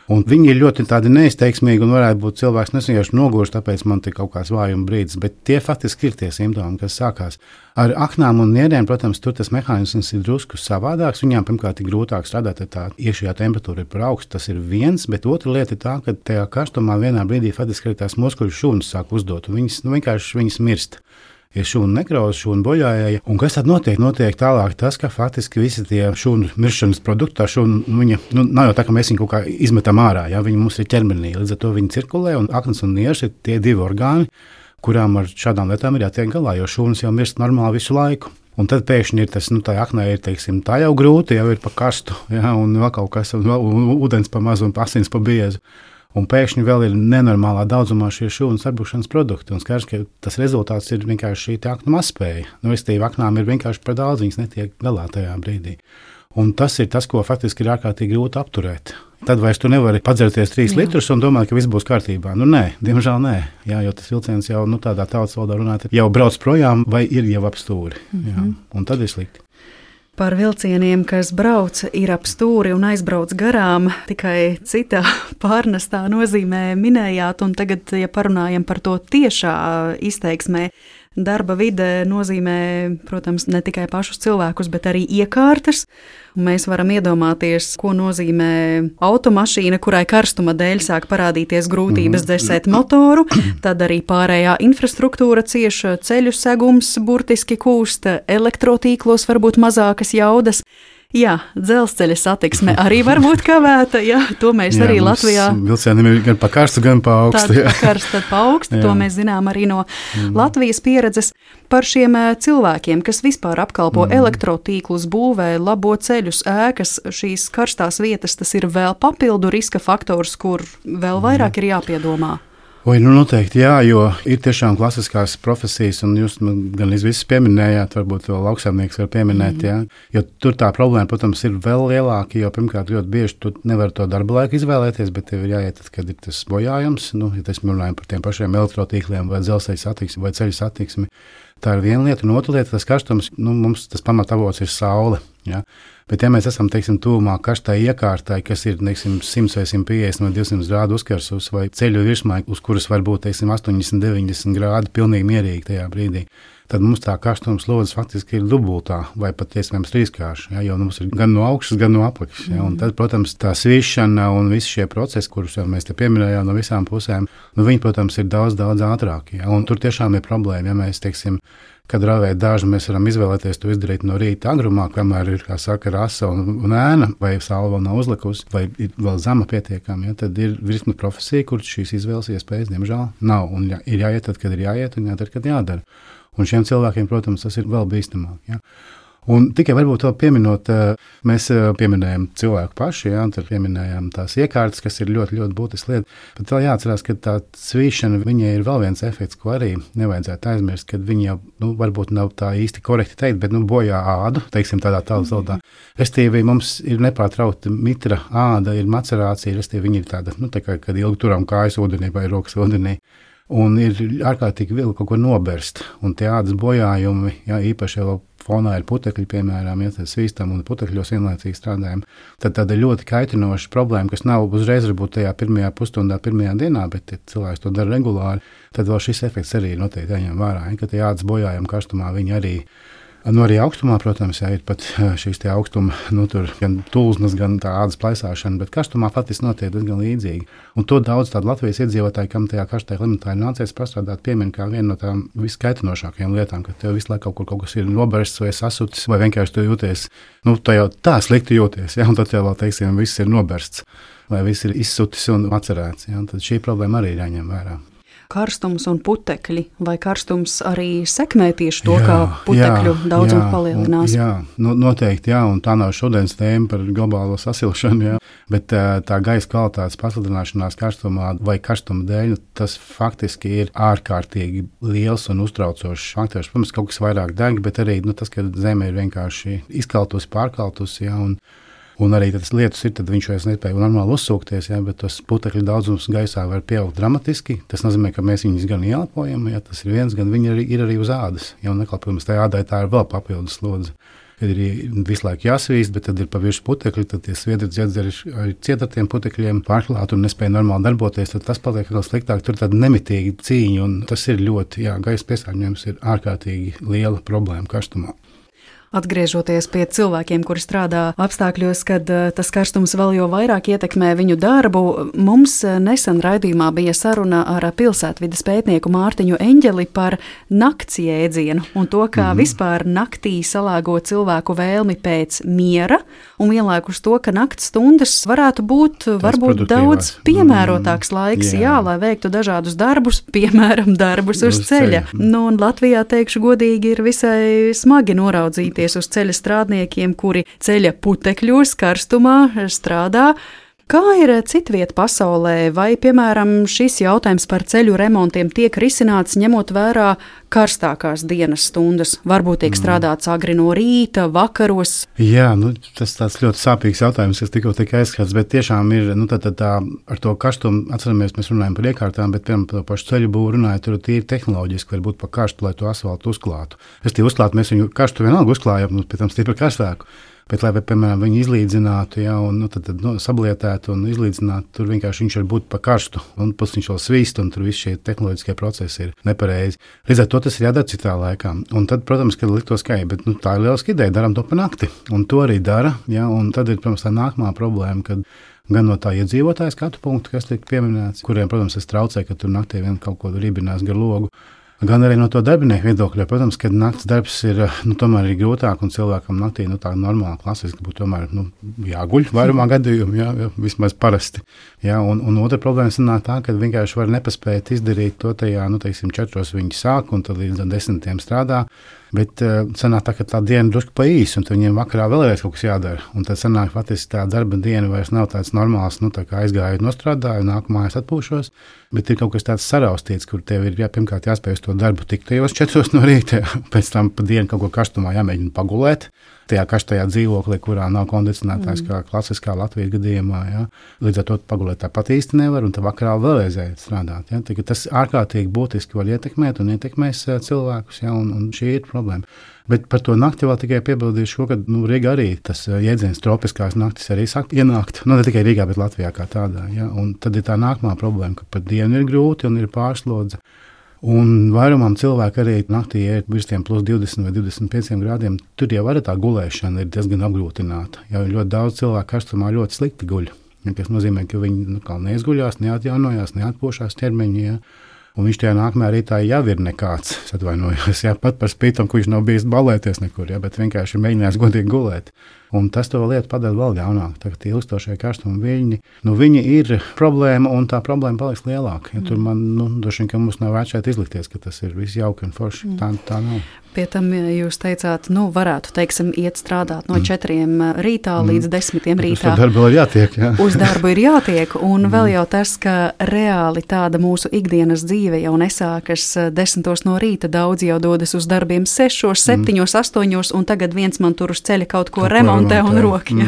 Un viņi ir ļoti tādi neizteiksmīgi un varētu būt cilvēks nesajauši nogurst, tāpēc man te kaut kāds vājuma brīdis, bet tie faktiski ir tie simptomi, kas sākās. Ar aknām un nierēm, protams, tur tas mehānisms ir drusku savādāks. Viņām pirmkārt ir grūtāk strādāt, ja tā iekšējā temperatūra ir par augstu, tas ir viens, bet otra lieta ir tā, ka tajā karstumā vienā brīdī faktiski arī tās muskuļu šūnas sāk uzdot, un viņas mirst. Ir šūnu nekroze, šūnu bojājēja. Un kas tad notiek? Notiek tālāk tas, ka faktiski visi tie šūnu miršanas produkti, tā šūna, viņa, nav jau tā, ka mēs viņu kaut kā izmetam ārā, ja viņi mums ir ķermenī, līdz ar to viņi cirkulē, un aknas un nieres ir tie 2 orgāni, kurām ar šādām lietām ir jātiek galā, jo šūnas jau mirst normāli visu laiku. Un tad pēkšņi ir tas, tā aknē ir, teiksim, tā jau grūti, jau ir pa karstu, ja, un vēl kaut kas, un ūdens pa mazu un asins pa biezu. Un pēkšņi vēl ir nenormālā daudzumā šie šūnas apbūšanas produkti. Un skaidrs, ka tas rezultāts ir vienkārši šī aknu mazspēja. Restīvi aknām ir vienkārši par daudz, viņas netiek galā tajā brīdī. Un tas ir tas, ko faktiski ir ārkārtīgi grūti apturēt. Tad vairs tu nevari padzerties 3 litrus un domāt, ka viss būs kārtībā. Nē, diemžēl nē. Jā, jo tas vilciens jau tādā tautas valodā runāt, jau brauc projām vai ir jau ap stūri. Jā, un tad ir slikti. Par vilcieniem, kas brauc, ir ap stūri un aizbrauc garām, tikai citā pārnestā nozīmē minējāt, un tagad, ja parunājam par to tiešā izteiksmē, darba vide nozīmē, protams, ne tikai pašus cilvēkus, bet arī iekārtas. Mēs varam iedomāties, ko nozīmē automašīna, kurai karstuma dēļ sāk parādīties grūtības dzēsēt motoru, tad arī pārējā infrastruktūra cieši, ceļu segums burtiski kūst, elektrotīklos varbūt mazākas jaudas. Jā, dzelzceļa satiksme arī var būt kavēta. Jā, to mēs arī Latvijā. Vilcieniem ir gan pa karstu, gan pa augstu. Tad pa karstu, tad pa augstu. To mēs zinām arī no Latvijas pieredzes par šiem cilvēkiem, kas vispār apkalpo elektrotīklus, būvē, labo ceļus, ēkas. Šīs karstās vietas, tas ir vēl papildu riska faktors, kur vēl vairāk ir jāpiedomā. Noteikti, jā, jo ir tiešām klasiskās profesijas, un jūs gan visus pieminējāt, varbūt vēl lauksaimnieks var pieminēt, jā, jo tur tā problēma, protams, ir vēl lielāka, jo pirmkārt ļoti bieži tu nevar to darba laiku izvēlēties, bet tev ir jāiet, kad ir tas bojājums, ja tas runājam par tiem pašiem elektrotīkliem vai dzelzceļa satiksmi vai ceļu satiksmi. Tā ir viena lieta, un otra lieta, tas karstums, mums tas pamatavots ir saule, jā. Bet, ja mēs esam, tuvumā karstai iekārtai, kas ir, 100 vai 150 vai 200 grādu uzkarsus, vai ceļu virsmai, uz kuras var būt, 80, 90 grādi, pilnīgi mierīgi tajā brīdī, tad mums tā karstuma slodze faktiski ir dubultā, vai pat iespējams trīskārša, ja, jo mums ir gan no augšas, gan no apakšas. Ja, un tad, protams, tā svīšana un visi šie procesi, kurus mēs te pieminējām no visām pusēm, viņi, protams, ir daudz ātrāki. Ja, un tur tiešām ir problēma, ja mēs, kad ravēt dāžu, mēs varam izvēlēties to izdarīt no rīta agrumā, kamēr ir, kā saka, rasa un ēna, vai saule vēl nav uzlikusi, vai ir vēl zema pietiekama. Ja, tad ir virkne profesija, kur šīs izvēles iespējas, diemžēl, nav. Un ir jāiet tad, kad ir jāiet, un jādara, kad jādara. Un šiem cilvēkiem, protams, tas ir vēl bīstamāk. Ja. Un tikai varbūt vēl pieminot, mēs pieminējam cilvēku paši, ja, un tad pieminējām tās iekārtas, kas ir ļoti, ļoti būtiska lieta. Bet vēl jāatcerās, ka tā svīšana, viņai ir vēl viens efekts, ko arī nevajadzētu aizmirst, kad viņi jau, varbūt nav tā īsti korekti teikt, bet bojā ādu, teiksim tādā valodā. Restīvi mums ir nepārtraukta mitra āda, ir macerācija, restīvi viņi ir tāda, tā kā, kad ilgi turam kājas ūdenī vai rokas ūdenī. Un ir ārkārtīgi viegli kaut ko noberst. Un tie ādas bojājumi, ja, īpaši jau fonā ir putekļi, piemēram, ja tas svīstam un putekļos vienlaicīgi strādājam, tad tāda ļoti kaitinoša problēma, kas nav uzreiz varbūt tajā pirmajā pusstundā, pirmajā dienā, bet ja cilvēks to dara regulāri, tad vēl šis efekts arī noteikti jāņem vērā, ja, ka tie ādas bojājumi karstumā viņi arī. Arī augstumā, protams, jā, ir pat šīs augstuma, tur gan tulznas, gan tā ādas plaisāšana, bet karstumā faktiski notiek diezgan līdzīgi. Un to daudz tādu Latvijas iedzīvotāju, kam tajā karstajā klimatā ir nācies pastrādāt, piemin kā vienu no tām viskaitinošākajām lietām, ka tev visu laiku kaut kas ir nobersts vai sasutis, vai vienkārši tu jūties, tu jau tā slikti jūties, ja, un tad jau vēl, teiksim, viss ir nobersts, vai viss ir izsutis un atcerēts, ja, un tad šī problēma arī ir jāņem vērā. Karstums un putekļi, vai karstums arī sekmē tieši to, kā putekļu daudzums palielinās? Jā, noteikti, jā, un tā nav šodienas tēma par globālo sasilšanu, jā, bet tā gaisa kvalitātes pasliktināšanās karstumā vai karstuma dēļ, tas faktiski ir ārkārtīgi liels un uztraucošs faktors. Protams, kaut kas vairāk deg, bet arī tas, ka zeme ir vienkārši izkaltusi, pārkaltusi, jā, un arī tas lietus ir, tad viņš vairs nespēja normāli uzsūkties, ja, bet tas putekļu daudzums gaisā var pieaugt dramatiski. Tas nozīmē, ka mēs viņus gan ieelpojam, ja tas ir viens, gan viņi ir arī uz ādas. Ja, un neklāpjums tajā ādai tā ir vēl papildus slodze. Kad ir visu laiku jāsvīst, bet tad ir pa virsmu putekļi, tad tie sviedri dziedzeri arī ciet ar tiem putekļiem pārklāt un nespēja normāli darboties, tad tas paliek vēl sliktāk. Tur ir tāda nemitīga cīņa, un tas ir ļoti, gaisa piesārņojums ir ārkārtīgi liela problēma karstumā. Atgriežoties pie cilvēkiem, kuri strādā apstākļos, kad tas karstums vēl jau vairāk ietekmē viņu darbu, mums nesen raidījumā bija saruna ar pilsētvides pētnieku Mārtiņu Eņģeli par nakts jēdzienu un to, kā vispār naktī salāgo cilvēku vēlmi pēc miera, un vienlaikus to, ka nakts stundas varētu būt varbūt daudz piemērotāks laiks, lai veiktu dažādus darbus, piemēram, darbus uz ceļa. Un Latvijā, teikšu godīgi, ir visai smagi noraudzīt uz ceļa strādniekiem, kuri ceļa putekļos, karstumā strādā. Kā ir citviet pasaulē, vai, piemēram, šis jautājums par ceļu remontiem tiek risināts ņemot vērā karstākās dienas stundas? Varbūt tiek strādāts agri no rīta, vakaros? Jā, tas tāds ļoti sāpīgs jautājums, kas tikko tika aizskats, bet tiešām ir, tā ar to karstumu, atceramies, mēs runājam par iekārtām, bet, piemēram, par pašu ceļu būvu runājot, tur tīri tehnoloģiski var būt pa karstu, lai to asfaltu uzklātu. Es tie uzklātu, mēs viņu karstu vienalga uzklājam, pēc tam stipri karstāku. Bet, lai, piemēram, viņi izlīdzinātu, un tad sablietētu un izlīdzinātu, tur vienkārši viņš var būt pa karstu, un pats viņš vēl svīst, un tur visi šie tehnoloģiskie procesi ir nepareizi. Līdz ar to tas ir jādara citā laikā. Un tad, protams, kad liktos, ka bet, tā ir lieliska ideja, darām to pa nakti. Un to arī dara, un tad ir, protams, tā nākamā problēma, kad gan no tā iedzīvotāja skatu punktu, kas tiek pieminēts, kuriem, protams, es traucēju, ka tur naktī vien kaut ko ribinās gar logu. Gan arī no to darbinieku viedokļa, protams, ka naktas darbs ir tomēr grūtāk un cilvēkam naktī tā normāli, klasiski būtu tomēr jāguļ vairumā gadījumu, vismaz parasti. Un otra problēma sanāk tā, ka vienkārši var nepaspēt izdarīt to tajā, 4 viņi sāk un tad līdz 10 strādā. Bet sanāk tā, ka tā diena drusku pa īsu, un viņiem vakarā vēlreiz kaut kas jādara. Un tad sanāk, faktiski tā darba diena vairs nav tāds normāls, tā kā aizgāju, nostrādāju, nāku mājās atpūšos. Bet ir kaut kas tāds saraustīts, kur tev ir pirmkārt jāspēj uz to darbu tikt tajos 4 no rīta, pēc tam pa dienu kaut ko karstumā jāmēģina pagulēt. Tajā karstajā dzīvoklī, kurā nav kondicionētājs, kā klasiskā Latvijas gadījumā. Līdz ar to pagulēt tāpat īsti nevar, un tā vakarā vēlreiz strādāt. Tas ārkārtīgi būtiski var ietekmēt un ietekmēs cilvēkus, un šī ir problēma. Bet par to nakti vēl tikai piebildīšu, ka Rīgā arī tas jēdziens tropiskās naktis arī sāk ienākt. Ne tikai Rīgā, bet Latvijā kā tādā. Un tad ir tā nākamā problēma, ka pat dienu ir grūti un ir pārslodze. Un vairumam cilvēku arī naktī ir virs tiem plus 20 vai 25 grādiem. Tur jau arī tā gulēšana ir diezgan apgrūtināta. Jau ļoti daudz cilvēku karstumā ļoti slikti guļ. Tas nozīmē, ka viņi neizguļās, neatjaunojās, neatpūšās ķermeņi. Un viņš tajā nākamajā rītā jau ir nekāds. Es atvainojos, pat par spītam, ka viņš nav bijis balēties nekur, bet vienkārši ir mēģinājis godīgi gulēt. Un tas to lietu padara vēl ļaunāk. Tagad tie ilgstošie karstuma viļņi, viņi ir problēma, un tā problēma paliks lielāka. Tur man, droši vien, ka mums nav vērts šeit izlikties, ka tas ir viss jauki un forši. Tā nav. Pie tam jūs teicāt, varētu, iet strādāt no 4 rītā līdz 10 rītā. Uz darbu ir jātiek, Uz darbu ir jātiek, un vēl jau tas, ka reāli tāda mūsu ikdienas dzīve jau nesākas 10 no rīta. Daudzi jau dodas uz darbiem 6, 7, 8, un tagad viens man tur uz ceļa kaut ko remontē un roki.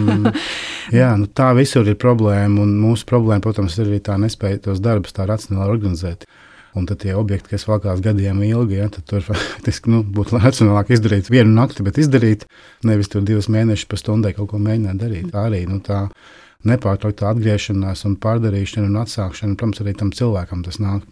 Jā, tā visur ir problēma, un mūsu problēma, protams, ir arī tā nespēja tos darbus tā racionāli organizēt. Un tad tie objekti, kas valkās gadiem ilgi, tad tur faktiski būtu racionālāk izdarīt vienu nakti, bet izdarīt, nevis tur 2 mēnešus pa stundai kaut ko mēģināt darīt. Tā arī tā nepārtraukta atgriešanās un pārdarīšana un atsākšana, protams, arī tam cilvēkam tas nāk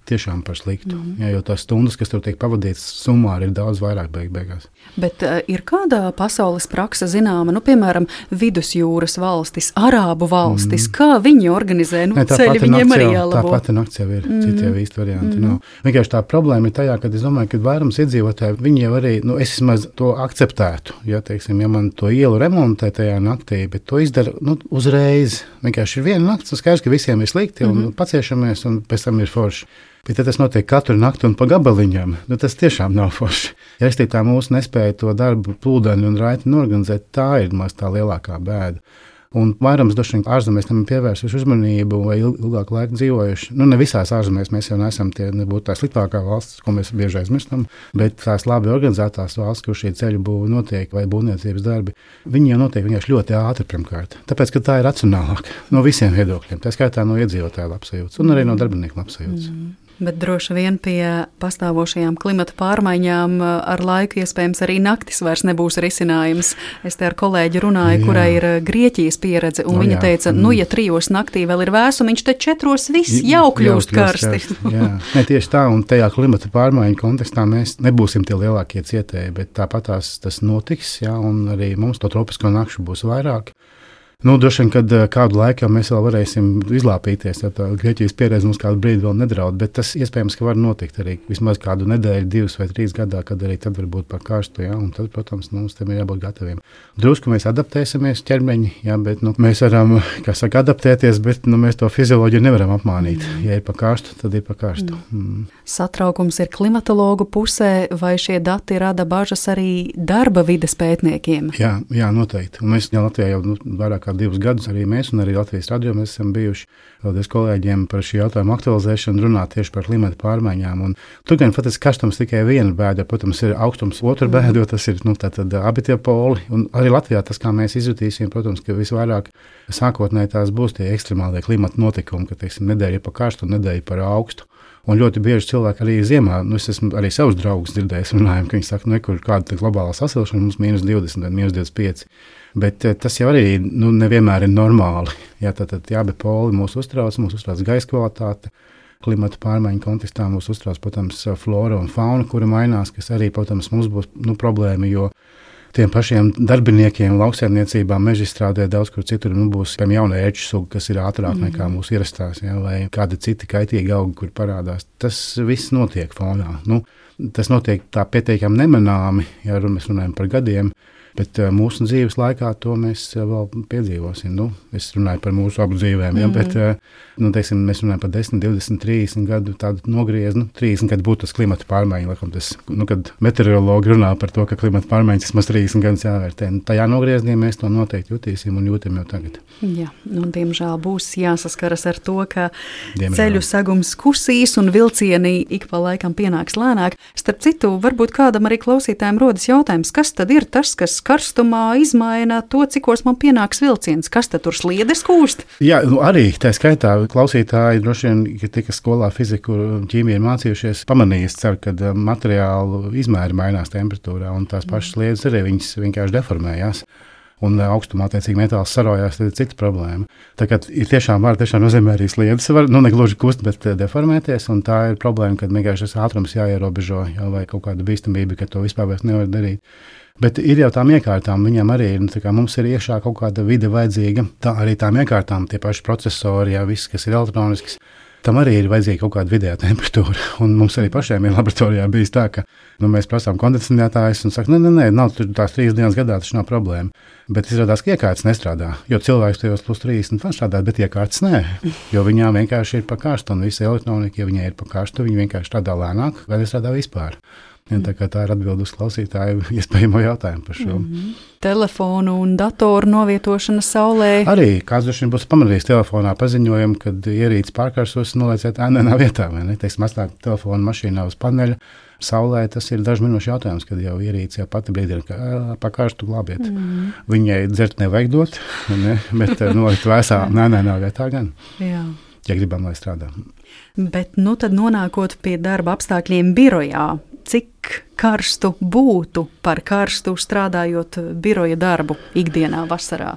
tiešām par sliktu. Jo tās stundas, kas tur tiek pavadītas, summāri ir daudz vairāk beigās. Bet ir kāda pasaules prakse zināma, piemēram, vidusjūras valstis, arābu valstis, kā viņi organizē, ceļi viņiem arī jālabo? Tā pati nakts jau ir, citi jau īsti varianti nav. Vienkārši tā problēma ir tajā, ka es domāju, ka vairums iedzīvotāji, viņi jau arī, es vismaz to akceptētu, ja man to ielu remontē tajā naktī, bet to izdara, uzreiz. Vienkārši ir viena nakts, un skaidrs, ka visiem ir slikti, un paciešamies, un pēc tam ir forši. Bet ja tas notiek katru nakti un pa gabaliņām, tas tiešām nav forši. Ja es tā mūsu nespēju to darbu plūdaini un raiti norganizēt, tā ir maz tā lielākā bēda. Un vairums droši vien ārzemēs tam pievērsuši uzmanību vai ilgāku laiku dzīvojuši. Ne visās ārzemēs mēs jau neesam nebūtu tā sliktākā valsts, ko mēs bieži aizmirstam, bet tās labi organizētās valsts, kur šī ceļu būva notiek vai būvniecības darbi, viņi jau notiek vienkārši ļoti ātri pirmkārt. Tāpēc, ka tā ir racionālāk no visiem viedokļiem, tā skaitā no iedzīvotāju labsajūtas un arī no darbinieku labsajūtas. Bet droši vien pie pastāvošajām klimata pārmaiņām ar laiku iespējams arī naktis vairs nebūs risinājums. Es te ar kolēģi runāju, kurai ir Grieķijas pieredze, un viņa teica, ja 3 naktī vēl ir vēsumi, viņš te 4 viss jau kļūst karsti. Tieši tā, un tajā klimata pārmaiņu kontekstā mēs nebūsim tie lielākie cietēji, bet tāpat tas notiks, un arī mums to tropisko nakšu būs vairāk. Droši vien, kad kādu laiku mēs vēl varēsim izlāpīties, ja tā Grieķijas pieredze mums kādu brīdi vēl nedraud, bet tas iespējams, ka var notikt arī vismaz kādu nedēļu, 2 vai 3 gadā, kad arī tad var būt par karstu, un tad, protams, mums tam ir jābūt gataviem. Drusku mēs adaptēsimies ķermeņi, bet mēs varam, adaptēties, bet mēs to fizioloģiju nevaram apmānīt. Ja ir par karstu, tad ir par karstu. Satraukums ir klimatologu pusē, vai šie dati rada bažas arī darba vides pētniekiem? Jā, noteikti. Un mēs Latvijā jau vairāk 2 gadus arī mēs un arī Latvijas radio mēs esam bijuši paldies kolēģiem par šī jautājuma aktualizēšanu, runāt tieši par klimata pārmaiņām. Un tur gan faktiski karstums tikai viena bēda, protams, ir augstums otra bēda, jo tas ir tātad abi tie poli. Un arī Latvijā tas, kā mēs izjutīsim, protams, ka visvairāk sākotnēji tās būs tie ekstremālie klimata notikumi, ka, nedēļa ir pa karstu un nedēļa par augstu. Un ļoti bieži cilvēki arī ziemā, es esmu arī savus draugus dzirdējis, runājam, ka viņi saka, kur kāda globālā sasilšana mums -20 vai -25. Bet tas jau arī nevienmēr ir normāli. Jā, tad abi poli mūs uztrauc gaisa kvalitāte. Klimata pārmaiņu kontekstā mūs uztrauc, protams, flora un fauna, kura mainās, kas arī, protams, mums būs problēma, jo tiem pašiem darbiniekiem lauksaimniecībā, mežstrādē daudz kur citur būs jauna ērču suga, kas ir ātrāk nekā mūsu ierastās, ja, vai kādi citi kaitīgi augi, kur parādās. Tas viss notiek fonā. Tas notiek tā pietiekami nemanāmi, ja mēs runājam par gadiem, bet mūsu dzīves laikā to mēs vēl piedzīvosim. Es runāju par mūsu abu dzīvēm, ja, bet teiksim, mēs runājam par 10, 20, 30 gadu tādu nogriezu. 30 gadu būtu tas klimata pārmaiņa, laikam tas, kad meteorologi runā par to, ka klimata pārmaiņas vismaz 30 gadus jāvērtē. Tajā nogriezienī mēs to noteikti jutīsim un jūtam jau tagad. Jā, diemžēl būs jāsaskaras ar to, ka ceļu sagums kusīs un vilcieni ik pa laikam pienāks lēnāk. Starp citu, varbūt kādam arī klausītājiem rodas jautājums, kas tad ir tas, kas karstumā izmaina to, cikos man pienāks vilciens? Kas tad tur sliedes kūst? Jā, arī tā skaitā klausītāji droši vien, ka tika skolā fiziku un ķīmiju ir mācījušies, pamanījis, ka materiālu izmēri mainās temperatūrā un tās pašas sliedes arī viņas vienkārši deformējās. Un augstumā, attiecīgi, metāls sarojās, tad ir cita problēma. Tā kā ir tiešām nozīmē arī sliedes, ne gluži kust, bet deformēties, un tā ir problēma, kad vienkārši tas ātrums jāierobežo, vai kaut kāda bīstamība, ka to vispār vairs nevar darīt. Bet ir jau tām iekārtām, viņam arī ir, mums ir iekšā kaut kāda vide vajadzīga, tā arī tām iekārtām, tie paši procesori, jā, viss, kas ir elektronisks, tam arī ir vajadzīga kaut kāda vidējā temperatūra. Un mums arī pašiem ir laboratorijā bijis tā, ka mēs prasām kondicionētājus un saka, nē, nav tur tās 3 dienas gadā, tas nav problēma. Bet izrādās, ka iekārtas nestrādā, jo cilvēks tajos +30 var strādāt, bet iekārtas nē, jo viņām vienkārši ir pa karstu, un visa elektronika, ja viņai ir pa karstu, viņi vienkārši strādā lēnāk vai nestrādā vispār. Ja, tā ir atbilde uz klausītāju iespējamo jautājumu par šo. Telefonu un datoru novietošana saulē. Arī kāds droši vien būs pamanījis telefonā paziņojumu, kad ierīces pārkarsos nolieciet ēnēnā vietā, vai ne? Teiksim, atstāt telefonu mašīnā uz paneļa. Saulē tas ir dažu minūšu jautājums, kad jau ierīce jau pati brīdina, ka pa karstu glābiet. Viņai dzert nevajag dot, ne? Bet nolikt vēsā ēnēnā vietā gan. Jā. Ja gribam, lai strādā. Bet tad nonākot pie darba apstākļiem birojā, cik karstu būtu par karstu strādājot biroja darbu ikdienā vasarā?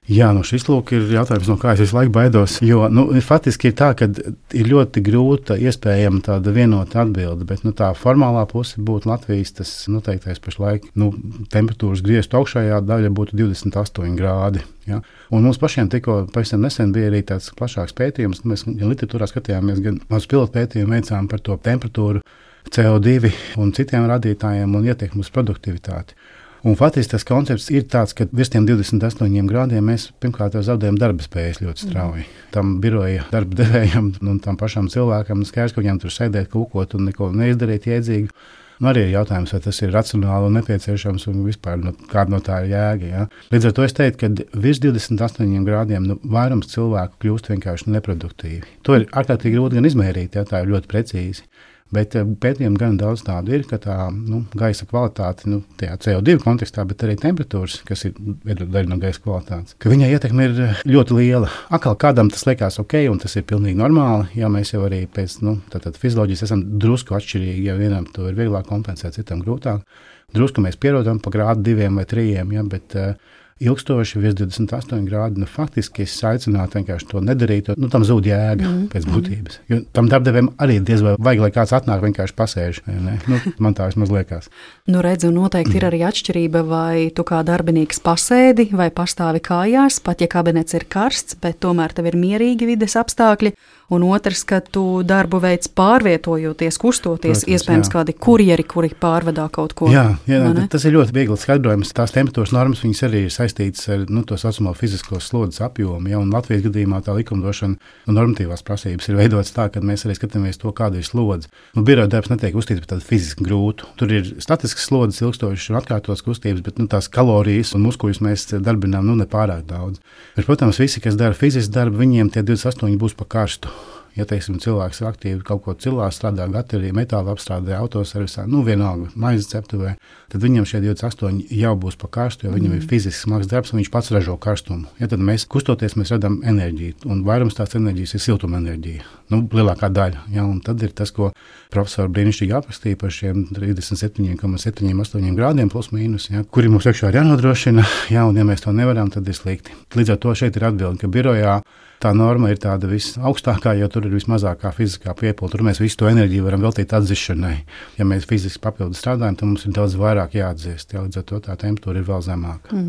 Jā, šis lūk ir jautājums, no kā es visu laiku baidos, jo faktiski ir tā, ka ir ļoti grūta iespējama tāda vienota atbilde, bet tā formālā puse būtu Latvijas tas noteiktais pašlaik temperatūras griestu augšējā daļa būtu 28 grādi. Ja? Un mums pašiem tikko pavisam nesen bija arī tāds plašāks pētījums, mēs gan literatūrā skatījāmies, gan uz pilotu pētījumu veicām par to temperatūru, CO2 un citiem rādītājiem un ietekmi uz produktivitāti. Un faktiski tas koncepts ir tāds, ka virs tiem 28 grādiem mēs pirmkārt zaudējam darba spējas ļoti strauji. Tam biroja darba devējam un tam pašam cilvēkam skaidrs, ka viņam tur sēdēt, kūkot un neko neizdarīt jēdzīgu. Arī ir jautājums, vai tas ir racionāli un nepieciešams un vispār kāda no tā ir jēga. Ja? Līdz ar to es teiktu, ka virs 28 grādiem vairums cilvēku kļūst vienkārši neproduktīvi. To ir ārkārtīgi grūti gan izmērīt, ja tā ir ļoti precīzi. Bet pētījumi gan daudz tādu ir, ka tā gaisa kvalitāte, tajā CO2 kontekstā, bet arī temperatūras, kas ir daļa no gaisa kvalitātes, ka viņai ietekme ir ļoti liela. Atkal kādam tas liekas ok, un tas ir pilnīgi normāli, ja mēs jau arī pēc fizioloģijas esam drusku atšķirīgi, ja vienam to ir vieglāk kompensēt, citam grūtāk. Drusku mēs pierodam pa grādu 2 vai 3, ja, bet ilgstoši virs 28 grādi, faktiski es aicinātu vienkārši to nedarīt, tam zūd jēga pēc būtības. Jo tam darbdevējam arī diez vai vajag, lai kāds atnāk vienkārši pasēž. Man tā vismaz liekas. Redzu, noteikti ir arī atšķirība, vai tu kā darbinieks pasēdi vai pastāvi kājās, pat ja kabinets ir karsts, bet tomēr tev ir mierīgi vides apstākļi. Un otrs, ka tu darbu veids pārvietojoties, kustoties, protams, iespējams kādi kurjeri, kuri pārvadā kaut ko. Jā, tas ir ļoti viegli skaidrojums. Tās temperatūras normas, viņas arī ir saistītas ar to saucamo fizisko slodzes apjomu. Ja, un Latvijas gadījumā tā likumdošana un normatīvās prasības ir veidotas tā, ka mēs arī skatāmies to, kāda ir slodze. Biroja darbs netiek uzskatīts par tādu fiziski grūtu. Tur ir statisks slodzes, ilgstošas un atkārtotas kustības, bet tās kalorijas un muskuļus mēs darbinām nepārāk daudz. Bet, protams, visi, kas dara fizisku darbu, viņiem tie 28 būs pa karstu. Ja, teiksim, cilvēks aktīvi kaut ko cilā, strādā bateriju, metāla apstrādē, autoservisā, vienalga, maizes ceptuvē, tad viņam šie 28 jau būs pa karstu, jo viņam ir fizisks smags darbs un viņš pats ražo karstumu. Ja, tad mēs kustoties, mēs redzam enerģiju, un vairums tās enerģijas ir siltuma enerģija. Lielākā daļa. Ja, un tad ir tas, ko profesori brīnišķīgi aprakstīja par šiem 37,78 grādiem plus mīnus, ja, kuri mums iekšā ir jānodrošina, ja, un ja mēs to nevaram, tad ir slikti. Līdz ar to šeit ir atbildi, ka birojā tā norma ir tāda visaugstākā, jo tur ir vismazākā fiziskā piepilda. Tur mēs visu to enerģiju varam veltīt atdzišanai. Ja mēs fiziski papildu strādājam, tad mums ir daudz vairāk jāatdziest. Ja, līdz ar to tā temperatūra ir vēl zemāka.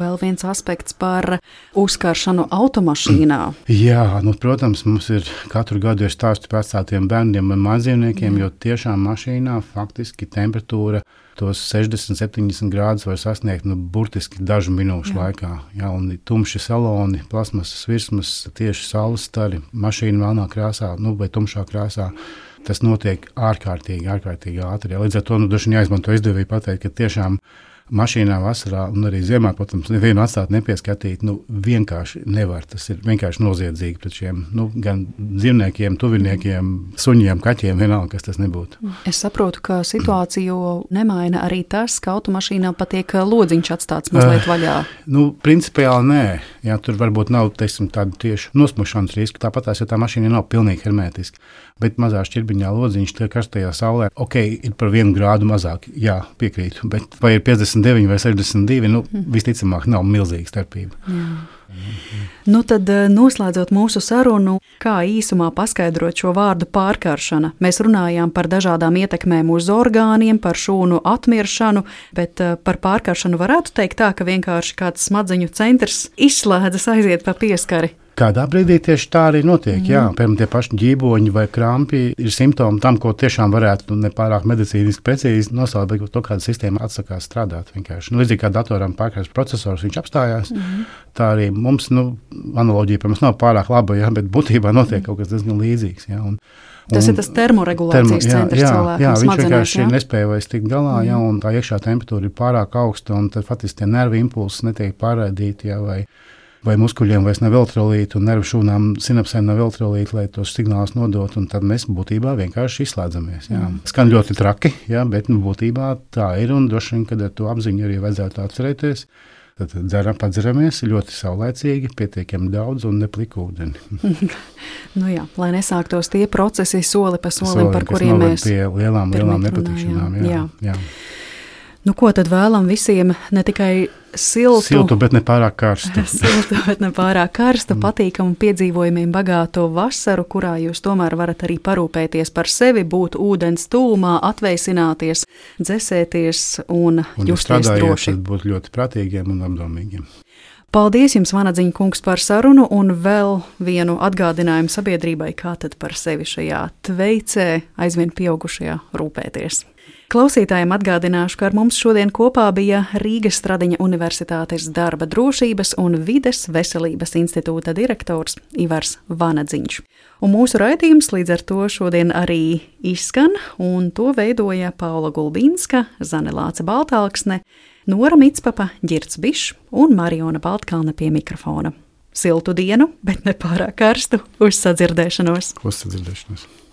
Vēl viens aspekts par uzkaršanu automašīnā. Jā, protams, mums ir katru gadu ir stāsti par vecākiem bērniem un mājdzīvniekiem, jo tiešām mašīnā faktiski temperatūra tos 60-70 grādus var sasniegt burtiski dažu minūšu laikā. Ja, un tumši saloni, plasmasas virsmas, tieši saules stari, mašīna melnā krāsā vai tumšā krāsā. Tas notiek ārkārtīgi ātri. Ja. Līdz ar to droši vien jāizmanto izdevību pateikt, ka tiešām mašīnā vasarā un arī ziemā, protams, nevienu atstāt nepieskatīt, vienkārši nevar. Tas ir vienkārši noziedzīgi pret šiem gan dzīvniekiem, tuviniekiem, suņiem, kaķiem, vienalga, kas tas nebūtu. Es saprotu, ka situāciju nemaina arī tas, ka automašīnā patiek lodziņš atstāts mazliet vaļā. Principiāli nē. Jā, tur varbūt nav, teiksim, tādu tieši nosmušanas risku. Tāpat tās, ja tā mašīna nav pilnīgi hermētiska, bet mazā šķirbiņā lodziņš tie karstajā saulē, ir par 1 grādu mazāk, jā, piekrītu, bet vai ir 59 vai 62, visticamāk nav milzīga starpība. Jā. Tad noslēdzot mūsu sarunu, kā īsumā paskaidrot šo vārdu pārkaršana. Mēs runājām par dažādām ietekmēm uz orgāniem, par šūnu atmiršanu, bet par pārkaršanu varētu teikt tā, ka vienkārši kāds smadzeņu centrs izslēdzas, aiziet pa pieskari. Kādā brīdī tieši tā arī notiek. Jā, piemēram, tie paši ģīboņi vai krampi ir simptomi tam, ko tiešām varētu nepārāk medicīniski precīzi nosaukt, bet to kāda sistēma atsakās strādāt vienkārši. Līdzīgi kā datoram pārkārs procesors, viņš apstājās, tā arī mums, analoģija, protams, nav pārāk laba, jā, bet būtībā notiek kaut kas diezgan līdzīgs. Jā, tas ir tas termoregulācijas centrs cilvēkam viņš smadzenēs. Vienkārši nespēja vairs tikt galā, jā, un tā iekšā temperatūra ir pārāk augsta, un tad faktiski tie nervu impulsi netiek pārraidīti, jā, vai muskuļiem vairs nav elektrolīti, un nervu šūnām, sinapsēm nav elektrolīti, lai tos signālus nodot, un tad mēs būtībā vienkārši izslēdzamies. Jā. Skan ļoti traki, jā, bet būtībā tā ir, un droši vien, kad ar to apziņu arī vajadzētu atcerēties. Tad padzeramies ļoti saulēcīgi, pietiekami daudz un nepliku ūdeni. Jā, lai nesāktos tie procesi soli pa solim, par kuriem mēs pie lielām nepatikšanām. Jā. Ko tad vēlam visiem? Ne tikai siltu, bet ne pārāk karstu. Siltu, bet ne pārāk karstu, patīkamu piedzīvojumiem bagāto vasaru, kurā jūs tomēr varat arī parūpēties par sevi, būt ūdens tūmā, atveisināties, dzesēties un justies droši. Tad būt ļoti prātīgiem un apdomīgiem. Paldies jums, Vanadziņa kungs, par sarunu, un vēl vienu atgādinājumu sabiedrībai, kā tad par sevi šajā tveicē aizvien pieaugušajā rūpēties. Klausītājiem atgādināšu, ka ar mums šodien kopā bija Rīgas Stradiņa Universitātes darba drošības un vides veselības institūta direktors Ivars Vanadziņš. Un mūsu raidījums līdz ar to šodien arī izskan, un to veidoja Paula Gulbīnska, Zane Lāce Baltāksne, Nora Mitspapa, Ģirds Bišs un Mariona Baltkalne pie mikrofona. Siltu dienu, bet ne pārāk karstu, uz sadzirdēšanos!